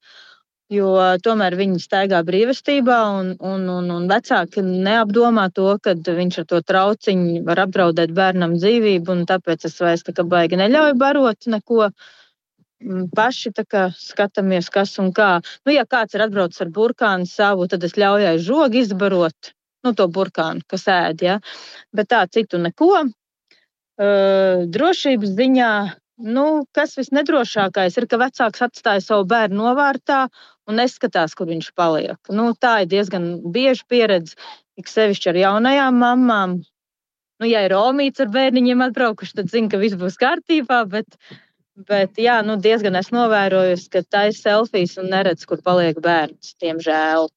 Jo tomēr viņi staigā brīvestībā un vecāki neapdomā to, ka viņš ar to trauciņu var apdraudēt bērnam dzīvību, un tāpēc es vairs tā kā baigi neļauju barot neko. Paši tā kā skatāmies, kas un kā. Ja kāds ir atbraucis ar burkānu savu, tad es ļauju aiz žogu izbarot, to burkānu, kas ēd, ja? Bet tā citu neko. Drošības ziņā, kas visnedrošākais ir, ka vecāks atstāja savu bērnu novārtā un neskatās, kur viņš paliek. Tā ir diezgan bieži pieredze, ik sevišķi ar jaunajām mammām. Ja ir omīts ar bērniņiem atbraukuši, tad zinu, ka viss būs kārtībā, bet jā, diezgan esmu novērojusi, ka taisa selfijas un neredz, kur paliek bērns, diemžēl.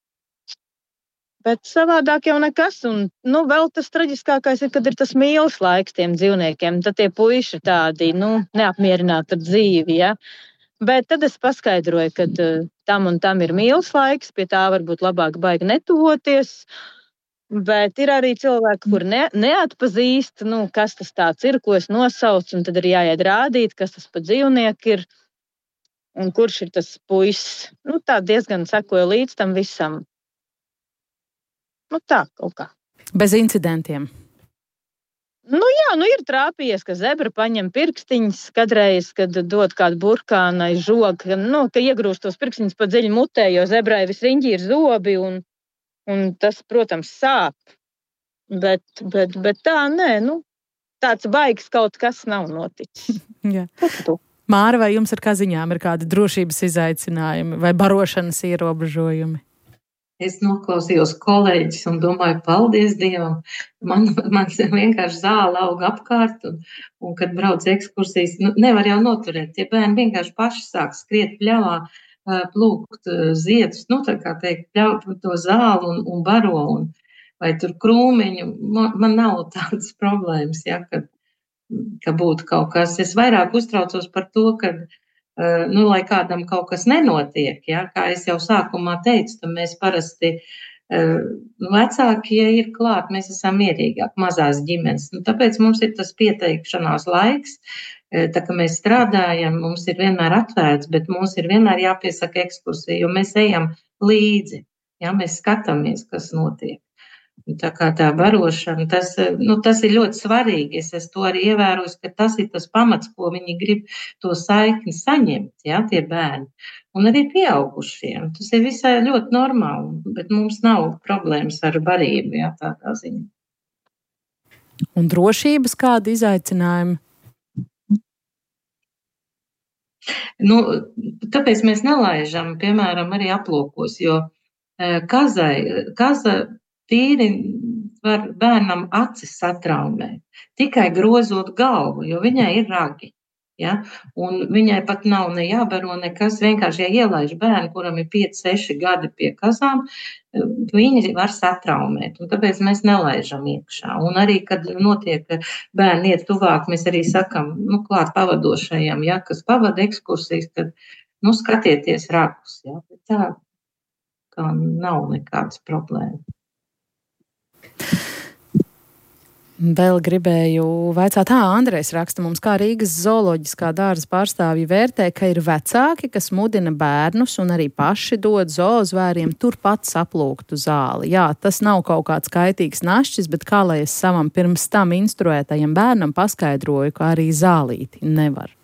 Bet savādāk jau nekas, un vēl tas traģiskākais ir, kad ir tas mīles laiks tiem dzīvniekiem, tad tie puiši ir tādi, neapmierināti ar dzīvi, ja? Bet tad es paskaidroju, ka tam un tam ir mīles laiks, pie tā varbūt labāk baigi netuvoties, bet ir arī cilvēki, kur neatpazīst, kas tas tāds ir, ko es nosaucu, un tad ir jāiet rādīt, kas tas pa dzīvnieku ir, un kurš ir tas puisis. Tā diezgan sekoja līdz tam visam. Tā kaut kā. Bez incidentiem? Ir trāpījies, ka zebra paņem pirkstiņus, kadreiz, kad dod kādu burkānu aiz žogu, ka iegrūst tos pirkstiņus pa dziļi mutē, jo zebrai visriņķi ir zobi, un tas, protams, sāp. Bet tā, nē, tāds baigs kaut kas nav noticis. Jā. Māra, vai jums ar kaziņām ir kādi drošības izaicinājumi vai barošanas ierobežojumi? Es noklausījos kolēģis un domāju, paldies Dievam. Man vienkārši zāle aug apkārt, un kad brauc ekskursijas, nevar jau noturēt. Tie bērni vienkārši paši sāk skriet pļavā, plūkt ziedus, tā kā teikt, pļaut to zāli un baro, vai tur krūmiņu. Man nav tādas problēmas, ja, ka būtu kaut kas. Es vairāk uztraucos par to, ka lai kādam kaut kas nenotiek, ja? Kā es jau sākumā teicu, tad mēs parasti vecāki, ja ir klāt, mēs esam mierīgāk, mazās ģimenes. Tāpēc mums ir tas pieteikšanās laiks, tā kā mēs strādājam, mums ir vienmēr atvērts, bet mums ir vienmēr jāpiesaka ekskursija, jo mēs ejam līdzi, ja? Mēs skatāmies, kas notiek. Tā kā tā barošana, tas ir ļoti svarīgi. Es to arī ievēroju, ka tas ir tas pamats, ko viņi grib to saikni saņemt, ja, tie bērni. Un arī pieaugušiem. Tas ir visai ļoti normāli, bet mums nav problēmas ar barību, ja, tādā ziņā. Un drošības kādi izaicinājumi? Tāpēc mēs nelaižam, piemēram, arī aplokos, jo kaza tīri var bērnam acis satraumēt, tikai grozot galvu, jo viņai ir ragi. Ja? Un viņai pat nav ne jābaro nekas, vienkārši, ja ielaiž bērnu, kuram ir 5-6 gadi pie kazām, viņi var satraumēt, un tāpēc mēs nelaižam iekšā. Un arī, kad notiek bērni iet tuvāk, mēs arī sakam, klāt pavadošajam, ja, kas pavada ekskursijas, tad, skatieties ragus, ja, bet tā kā nav nekādas problēmas. Vēl gribēju vaicāt, Andrejs raksta mums, kā Rīgas zooloģiskā dārza pārstāvji vērtē, ka ir vecāki, kas mudina bērnus un arī paši dod zoozvēriem turpat saplūktu zāli. Jā, tas nav kaut kāds kaitīgs našķis, bet kā lai es savam pirms tam instruētajam bērnam paskaidroju, ka arī zālīti nevar.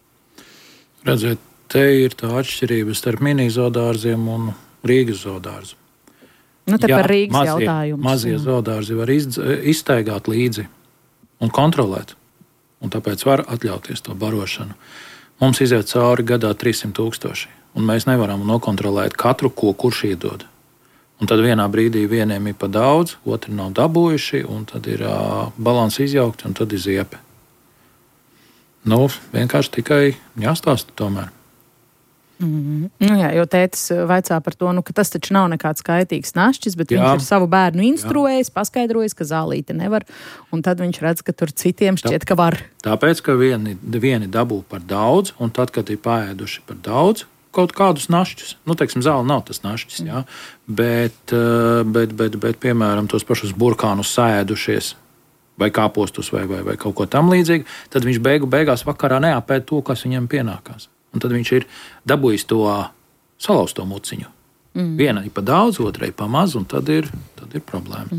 Redziet, te ir tā atšķirība starp mini zoodārziem un Rīgas zoodārzu. Nu, te par Rīgas jautājumus. Mazie zoodārzi var izstaigāt līdzi un kontrolēt, un tāpēc var atļauties to barošanu. Mums iziet cauri gadā 300,000, un mēs nevaram nokontrolēt katru, ko kurš iedod. Un tad vienā brīdī vieniem ir pa daudz, otri nav dabūjuši, un tad ir balans izjaukti, un tad ir ziepe. Nu, vienkārši tikai jāstāsta tomēr. Nu jā, jo tētis vaicā par to, ka tas taču nav nekāds kaitīgs našķis, bet viņš ir savu bērnu instruējis, paskaidrojis, ka zālīte nevar, un tad viņš redz, ka tur citiem šķiet, ka var. Tāpēc, ka vieni dabū par daudz, un tad, kad ir paēduši par daudz kaut kādus našķus, teiksim, zāle nav tas našķis, jā, bet, piemēram, tos pašus burkānus saēdušies, vai kāpostus, vai kaut ko tam līdzīgu, tad viņš beigās vakarā neapēd to, kas viņam pienākās. Un tad viņš ir dabūjis to salauzto muciņu. Viena ir pa daudz, otrai pa maz, un tad ir problēma.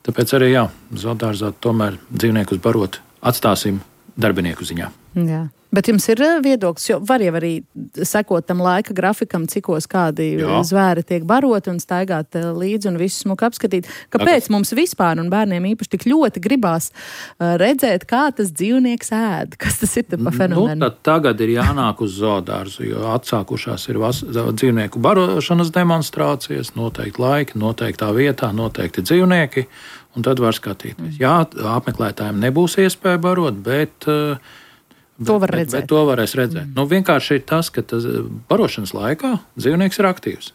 Tāpēc arī, zoodārzā tomēr dzīvniekus barot atstāsim darbinieku ziņā. Jā. Bet jums ir viedoklis, jo var jau arī sekot tam laika grafikam, cikos kādi zvēri tiek baroti un staigāt līdzi un visu smuku apskatīt. Kāpēc mums vispār un bērniem īpaši tik ļoti gribās redzēt, kā tas dzīvnieks ēd? Kas tas ir pa fenomenu? Tagad ir jānāk uz zoodārzu, jo atsākušās ir dzīvnieku barošanas demonstrācijas, noteikti laiki, noteiktā vietā, noteikti dzīvnieki, un tad var skatīties. Jā, apmeklētājiem nebūs iespēja barot, bet to var redzēt. Bet to varēs redzēt. Vienkārši ir tas, ka barošanas laikā dzīvnieks ir aktīvs.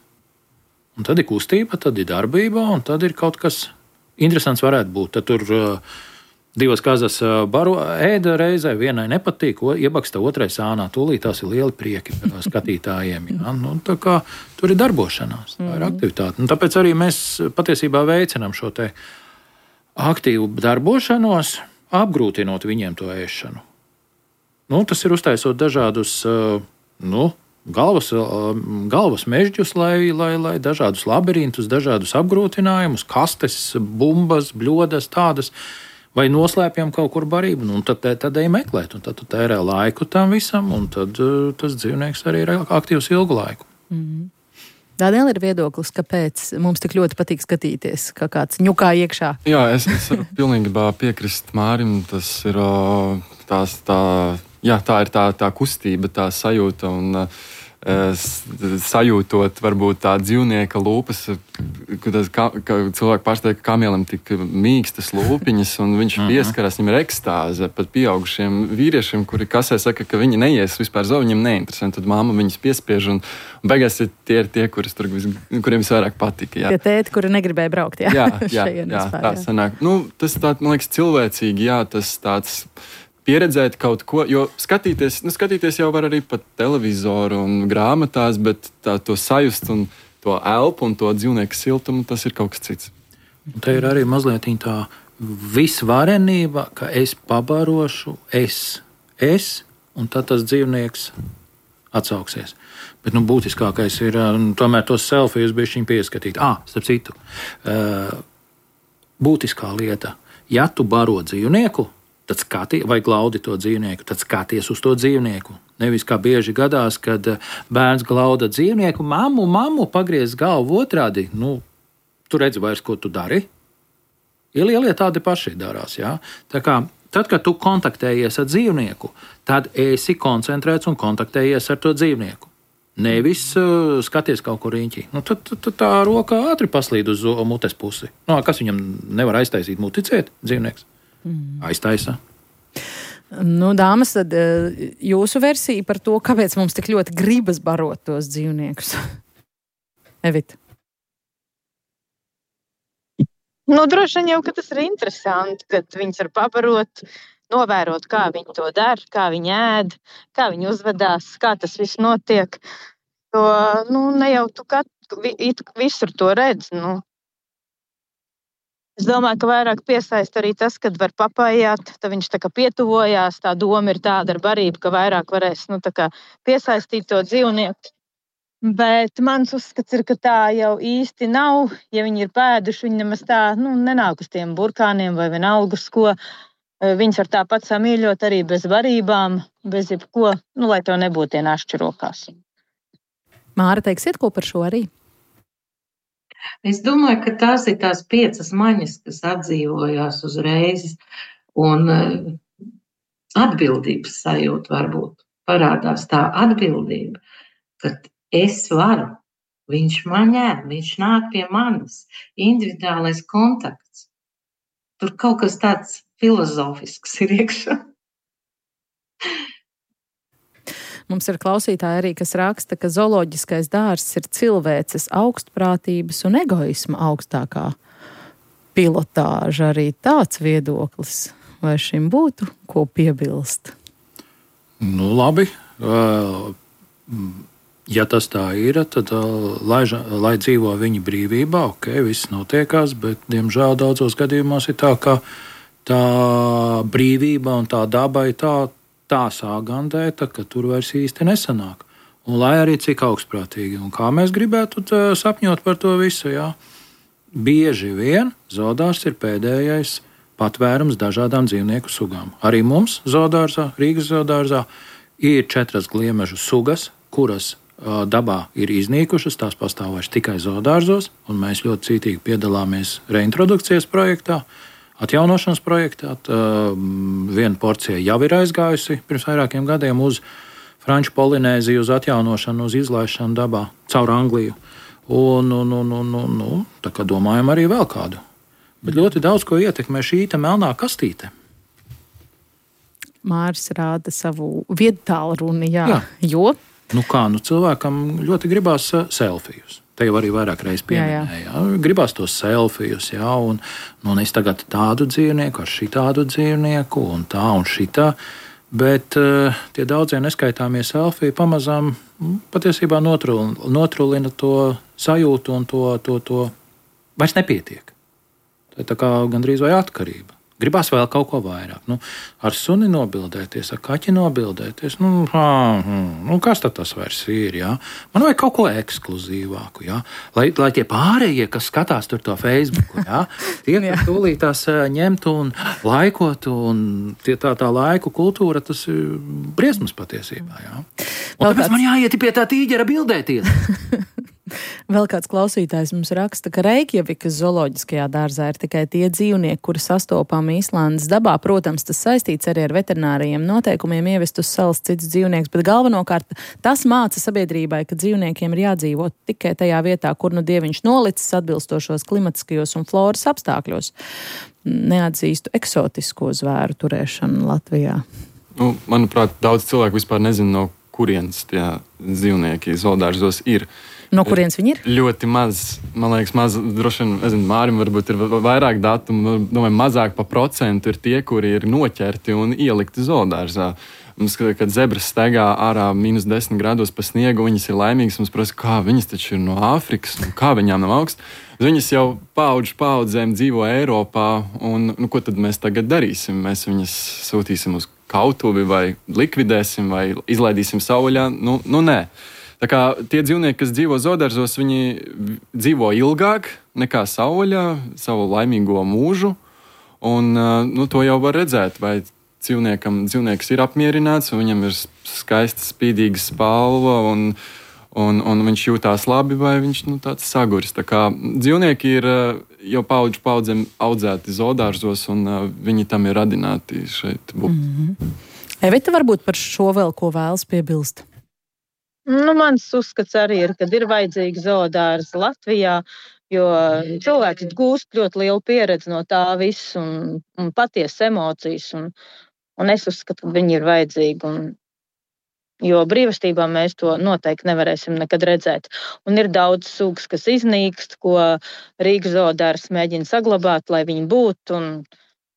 Un tad ir kustība, tad ir darbība, un tad ir kaut kas interesants varētu būt. Tad tur divas kazas ēda reizē, vienai nepatīk, iebaksta otrai sānā. Tūlīt tās ir lieli prieki skatītājiem. Ja? Tā kā tur ir darbošanās, tā ir aktivitāte. Tāpēc arī mēs patiesībā veicinām šo te aktīvu darbošanos, apgrūtinot viņiem to ēšanu. Tas ir uztaisot dažādus galvas mežģus, lai dažādus labirintus, dažādus apgrūtinājumus, kastes, bumbas, bļodas tādas, vai noslēpjam kaut kur barību. Tad ej meklēt, un tad tu tērē laiku tam visam, un tad tas dzīvnieks arī ir aktīvs ilgu laiku. Daniel ir viedoklis, kāpēc mums tik ļoti patīk skatīties, kā kāds ņukā iekšā. Jā, es varu pilnīgi piekrist Mārim. Tas ir tā ir tā kustība, tā sajūta un sajūtot varbūt tā dzīvnieka lūpas, ka cilvēki pārsteidz, ka kamielam tik mīkstas lūpiņas un viņš pieskaras, viņam ir ekstāze. Pat pieaugušiem vīriešiem, kuri kasē saka, ka viņi neies vispār zovu, viņiem neinteresē. Tad mamma viņus piespiež un beigās tie ir tie, kuriem visvairāk patika. Jā. Tie tēti, kuri negribēja braukt. Jā, tā sanāk. Tas tā, man liekas, cilvēcīgi, tas tāds pieredzēt kaut ko, jo skatīties jau var arī pa televizoru un grāmatās, bet to sajust un to elpu un to dzīvnieku siltumu, tas ir kaut kas cits. Un te ir arī mazliet tā visvarenība, ka es pabarošu, un tad tas dzīvnieks atsauksies. Bet būtiskākais ir tomēr tos selfijus bišķiņ pieskatīt. Starp citu, būtiskā lieta, ja tu baro dzīvnieku, tad vai glaudi to dzīvnieku, tad skaties uz to dzīvnieku. Nevis kā bieži gadās, kad bērns glauda dzīvnieku, mammu, pagriez galvu otrādi. Tu redzi vairs, ko tu dari. Lielie tādi paši darās. Jā? Tā kā, tad, kad tu kontaktējies ar dzīvnieku, tad esi koncentrēts un kontaktējies ar to dzīvnieku. Nevis skaties kaut kur riņķī. Tad tā roka ātri paslīd uz mutes pusi. Kas viņam nevar aiztaisīt muticēt, dzīvnieks? Aiztaisa. Dāmas, tad jūsu versija par to, kāpēc mums tik ļoti gribas barot tos dzīvniekus? Evita. Droši vien jau, ka tas ir interesanti, kad viņus var pabarot, novērot, kā viņi to dara, kā viņi ēd, kā viņi uzvedās, kā tas viss notiek. Ne jau tu visur to redz, Es domāju, ka vairāk piesaista arī tas, kad var papājāt, tad viņš tā kā pietuvojās. Tā doma ir tāda ar barību, ka vairāk varēs tā kā piesaistīt to dzīvnieku. Bet mans uzskats ir, ka tā jau īsti nav. Ja viņi ir pēduši, viņi nemaz tā nenāk uz tiem burkāniem vai vienalga uz ko. Viņus var tāpat samīļot arī bez barībām, bez jebko, lai tev nebūtu tie našķi rokās. Māra, teiksiet ko par šo arī? Es domāju, ka tās ir tās 5 maņas, kas atdzīvojās uzreiz, un atbildības sajūta varbūt parādās tā atbildība, ka es varu, viņš man ņem, viņš nāk pie manis, individuālais kontakts. Tur kaut kas tāds filozofisks ir iekšā. Mums ir klausītāji arī, kas raksta, ka zooloģiskais dārzs ir cilvēces augstprātības un egoisma augstākā pilotāža. Arī tāds viedoklis. Vai šim būtu ko piebilst? Labi. Ja tas tā ir, tad lai dzīvo viņi brīvībā, viss notiekās, bet, diemžēl, daudzos gadījumos ir tā, ka tā brīvība un tā daba ir tā sāgandēta, ka tur vairs īsti nesanāk. Un lai arī cik augstprātīgi un kā mēs gribētu sapņot par to visu, bieži vien zoodārs ir pēdējais patvērums dažādām dzīvnieku sugām. Arī mums zoodārzā, Rīgas zoodārzā, ir 4 gliemežu sugas, kuras dabā ir iznīkušas, tās pastāv vairs tikai zoodārzos, un mēs ļoti cītīgi piedalāmies reintrodukcijas projektā, atjaunošanas projektā. Viena porcija jau ir aizgājusi pirms vairākiem gadiem uz Franču Polinēziju, uz atjaunošanu, uz izlaišanu dabā caur Angliju. Tā kā domājam arī vēl kādu. Bet ļoti daudz ko ietekmē šī melnā kastīte. Māris rāda savu viedtālruni, jo? Cilvēkam ļoti gribās selfijus. Te jau arī vairāk reizes pieminēja. Gribās tos selfijus, un es tagad tādu dzīvnieku ar šitādu dzīvnieku, un tā un šitā. Bet tie daudzie neskaitāmie selfiji pamazām patiesībā notrulina to sajūtu, un to vairs nepietiek. Tā ir tā kā gandrīz vai atkarība. Gribās vēl kaut ko vairāk. Ar suni nobildēties, ar kaķi nobildēties. Kas tad tas vairs ir? Man vajag kaut ko ekskluzīvāku. Lai tie pārējie, kas skatās tur to Facebook, tie tūlīt tās ņemtu un laikotu. Un tā laiku kultūra, tas ir briesmas patiesībā. Un tāpēc man jāiet pie tā tīģera bildēties. Vēl kāds klausītājs mums raksta, ka Reikjavikas zooloģiskajā dārzā ir tikai tie dzīvnieki, kuri sastopami Īslandes dabā. Protams, tas saistīts arī ar veterinārajiem noteikumiem ievest uz salas cits dzīvnieks, bet galvenokārt tas māca sabiedrībai, ka dzīvniekiem ir jādzīvot tikai tajā vietā, kur dieviņš nolicis atbilstošos klimatiskajos un floras apstākļos. Neatzīstu eksotisko zvēru turēšanu Latvijā. Manuprāt, daudz cilvēku vispār nezina, no kurienes tie dzīvnieki zoodārzos ir. No kurienes viņi ir? Ļoti maz, man liekas, droši vien, nezinu, Mārim varbūt ir vairāk datumu, domāju, mazāk pa procentu ir tie, kuri ir noķerti un ielikti zoodārzā. Mums, kad zebras staigā ārā -10 grādos pa sniegu, viņas ir laimīgas, mums prasa, kā viņas taču ir no Āfrikas, un kā viņām nav augsts. Viņas jau paudzēm dzīvo Eiropā, un ko tad mēs tagad darīsim? Mēs viņas sūtīsim uz kautuvi vai likvidēsim vai izlaidīsim savvaļā? Nē. Tā kā tie dzīvnieki, kas dzīvo zoodārzos, viņi dzīvo ilgāk nekā savvaļā, savu laimīgo mūžu. Un to jau var redzēt, vai dzīvnieks ir apmierināts, un viņam ir skaista, spīdīga spalva, un viņš jūtās labi, vai viņš tāds saguris. Tā kā dzīvnieki ir jau paudzēm audzēti zoodārzos, un viņi tam ir radināti šeit būt. Evita, varbūt par šo vēl ko vēlas piebilst? Mans uzskats arī ir, ka ir vajadzīga zoodārza Latvijā, jo cilvēks gūst ļoti lielu pieredzi no tā visu un patiesas emocijas. Un es uzskatu, ka viņi ir vajadzīgi. Jo brīvastībā mēs to noteikti nevarēsim nekad redzēt. Un ir daudz sugas, kas iznīkst, ko Rīgas zoodārzs mēģina saglabāt, lai viņi būtu.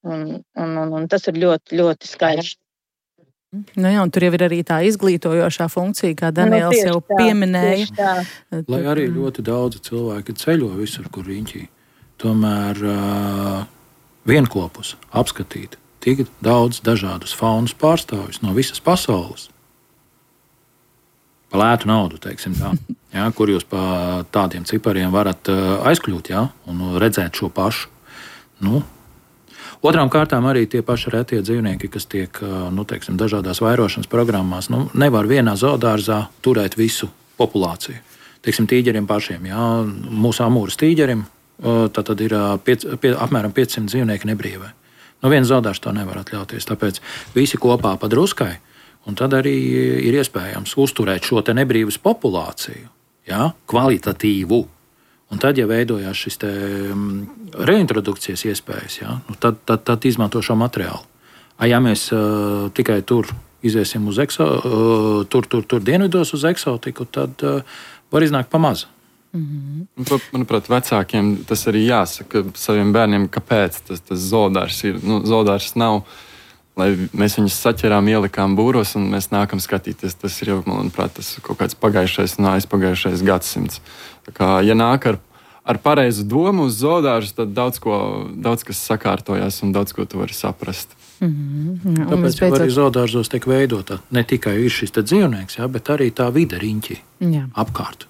Un tas ir ļoti, ļoti skaisti. Un tur jau ir arī tā izglītojošā funkcija, kā Daniels jau pieminēja. Lai arī ļoti daudzi cilvēki ceļo visur, kur riņķī. tomēr vienklopus apskatīt tik daudz dažādus faunas pārstāvjus no visas pasaules. Pa lētu naudu, teiksim tā, ja, kur jūs pa tādiem cipariem varat aizkļūt, ja, un redzēt šo pašu. Nu, otrām kārtām arī tie paši retie dzīvnieki, kas tiek, teiksim, dažādās vairošanas programmās, nevar vienā zoodārzā turēt visu populāciju. Teiksim, tīģeriem pašiem, ja, mūsu amūras tīģerim, tad ir apmēram 500 dzīvnieki nebrīvē. Viens zoodārs to nevar atļauties, tāpēc visi kopā pa druskai, un tad arī ir iespējams uzturēt šo te nebrīvas populāciju, ja, kvalitatīvu. Un tad, ja veidojās šis te reintrodukcijas iespējas, ja, tad izmanto šo materiālu. Ja mēs tikai tur iziesim uz tur dienvidos uz eksotiku, tad var iznākt pa mazu. Manuprāt, vecākiem tas arī jāsaka saviem bērniem, kāpēc tas zoodārs ir. Zoodārs nav, lai mēs viņus saķerām, ielikām būros un mēs nākam skatīties. Tas ir jau, manuprāt, tas kaut kāds pagājušais un aizpagājušais gadsimts. Tā kā, ja nāk ar pareizu domu uz zoodārzu, tad daudz kas sakārtojās un daudz ko tu vari saprast. Tāpēc arī zoodārzos tiek veidota ne tikai šis dzīvnieks, ja, bet arī tā vide riņķi apkārt.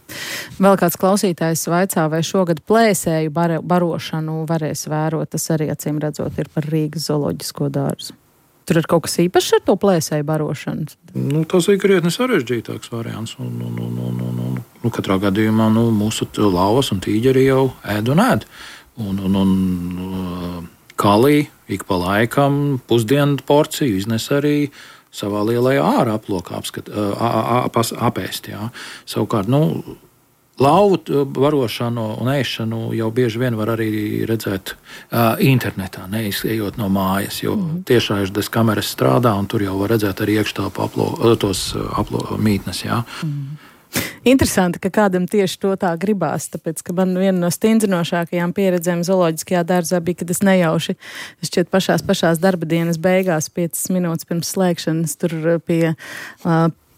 Vēl kāds klausītājs vaicā, vai šogad plēsēju barošanu varēs vērot. Tas arī, acīm redzot, ir par Rīgas zooloģisko dārzu. Tur ir kaut kas īpašs ar to plēsēju barošanu? Tas ir krietni sarežģītāks variants. Katrā gadījumā mūsu lauvas un tīģeri jau ēd un ēd. Kalī ik pa laikam pusdienu porciju iznes arī savā lielajā ārā aplokā apēst. Jā. Savukārt, lauvu barošanu un ēšanu jau bieži vien var arī redzēt internetā, neizejot no mājas, jo tiešraizes kameras strādā un tur jau var redzēt arī iekštelpu mītnes. Jā. Interesanti, ka kādam tieši to tā gribās, tāpēc, ka man viena no stindzinošākajām pieredzēm zooloģiskajā dārzā bija, kad es nejauši, šķiet pašās darba dienas beigās, 5 minūtes pirms slēgšanas, tur pie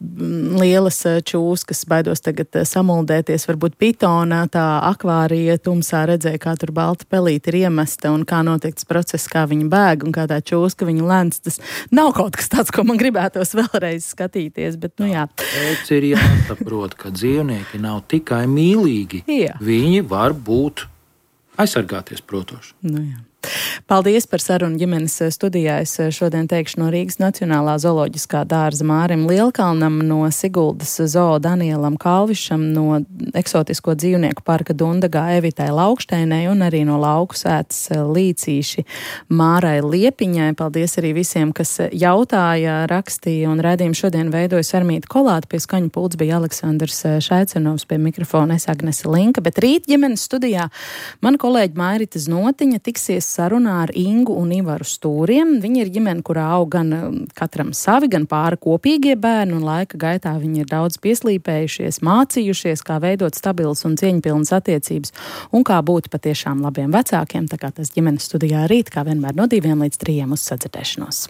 lielas čūskas, baidos tagad samuldēties, varbūt pitona, tā akvārija tumsā redzēja, kā tur balta pelīte ir iemesta un kā notiek tas process, kā viņa bēg un kā tā čūska viņa lēns. Tas nav kaut kas tāds, ko man gribētos vēlreiz skatīties, bet jā. Pēc ir jāsaprot, ka dzīvnieki nav tikai mīlīgi. Jā. Viņi var būt aizsargāties protoši. Jā. Paldies par sarunu ģimenes studijā. Es šodien teikšu no Rīgas Nacionālā zooloģiskā dārza Mārim Lielkalnam, no Siguldas zoo Danielam Kalvišam, no eksotisko dzīvnieku parka Dundagā Evitai Laukšteinai un arī no lauku sētas Līcīši Mārai Liepiņai. Paldies arī visiem, kas jautāja, rakstīja un raidījumu šodien veidoja Sarmīta Kolāte. Pie skaņu pults bija Aleksandrs Šaicenovs, pie mikrofona es Agnese Linka, bet rīt ģimenes studijā mana kolēģi Mairita Znotiņa tiksies sarunā ar Ingu un Ivaru Stūriem. Viņi ir ģimene, kurā aug gan katram savi, gan pāri kopīgie bērni, un laika gaitā viņi ir daudz pieslīpējušies, mācījušies, kā veidot stabilas un cieņpilnas attiecības un kā būt patiešām labiem vecākiem. Tā kā tas ģimenes studijā rīt, kā vienmēr no 2 līdz 3 uz sadzirdēšanos.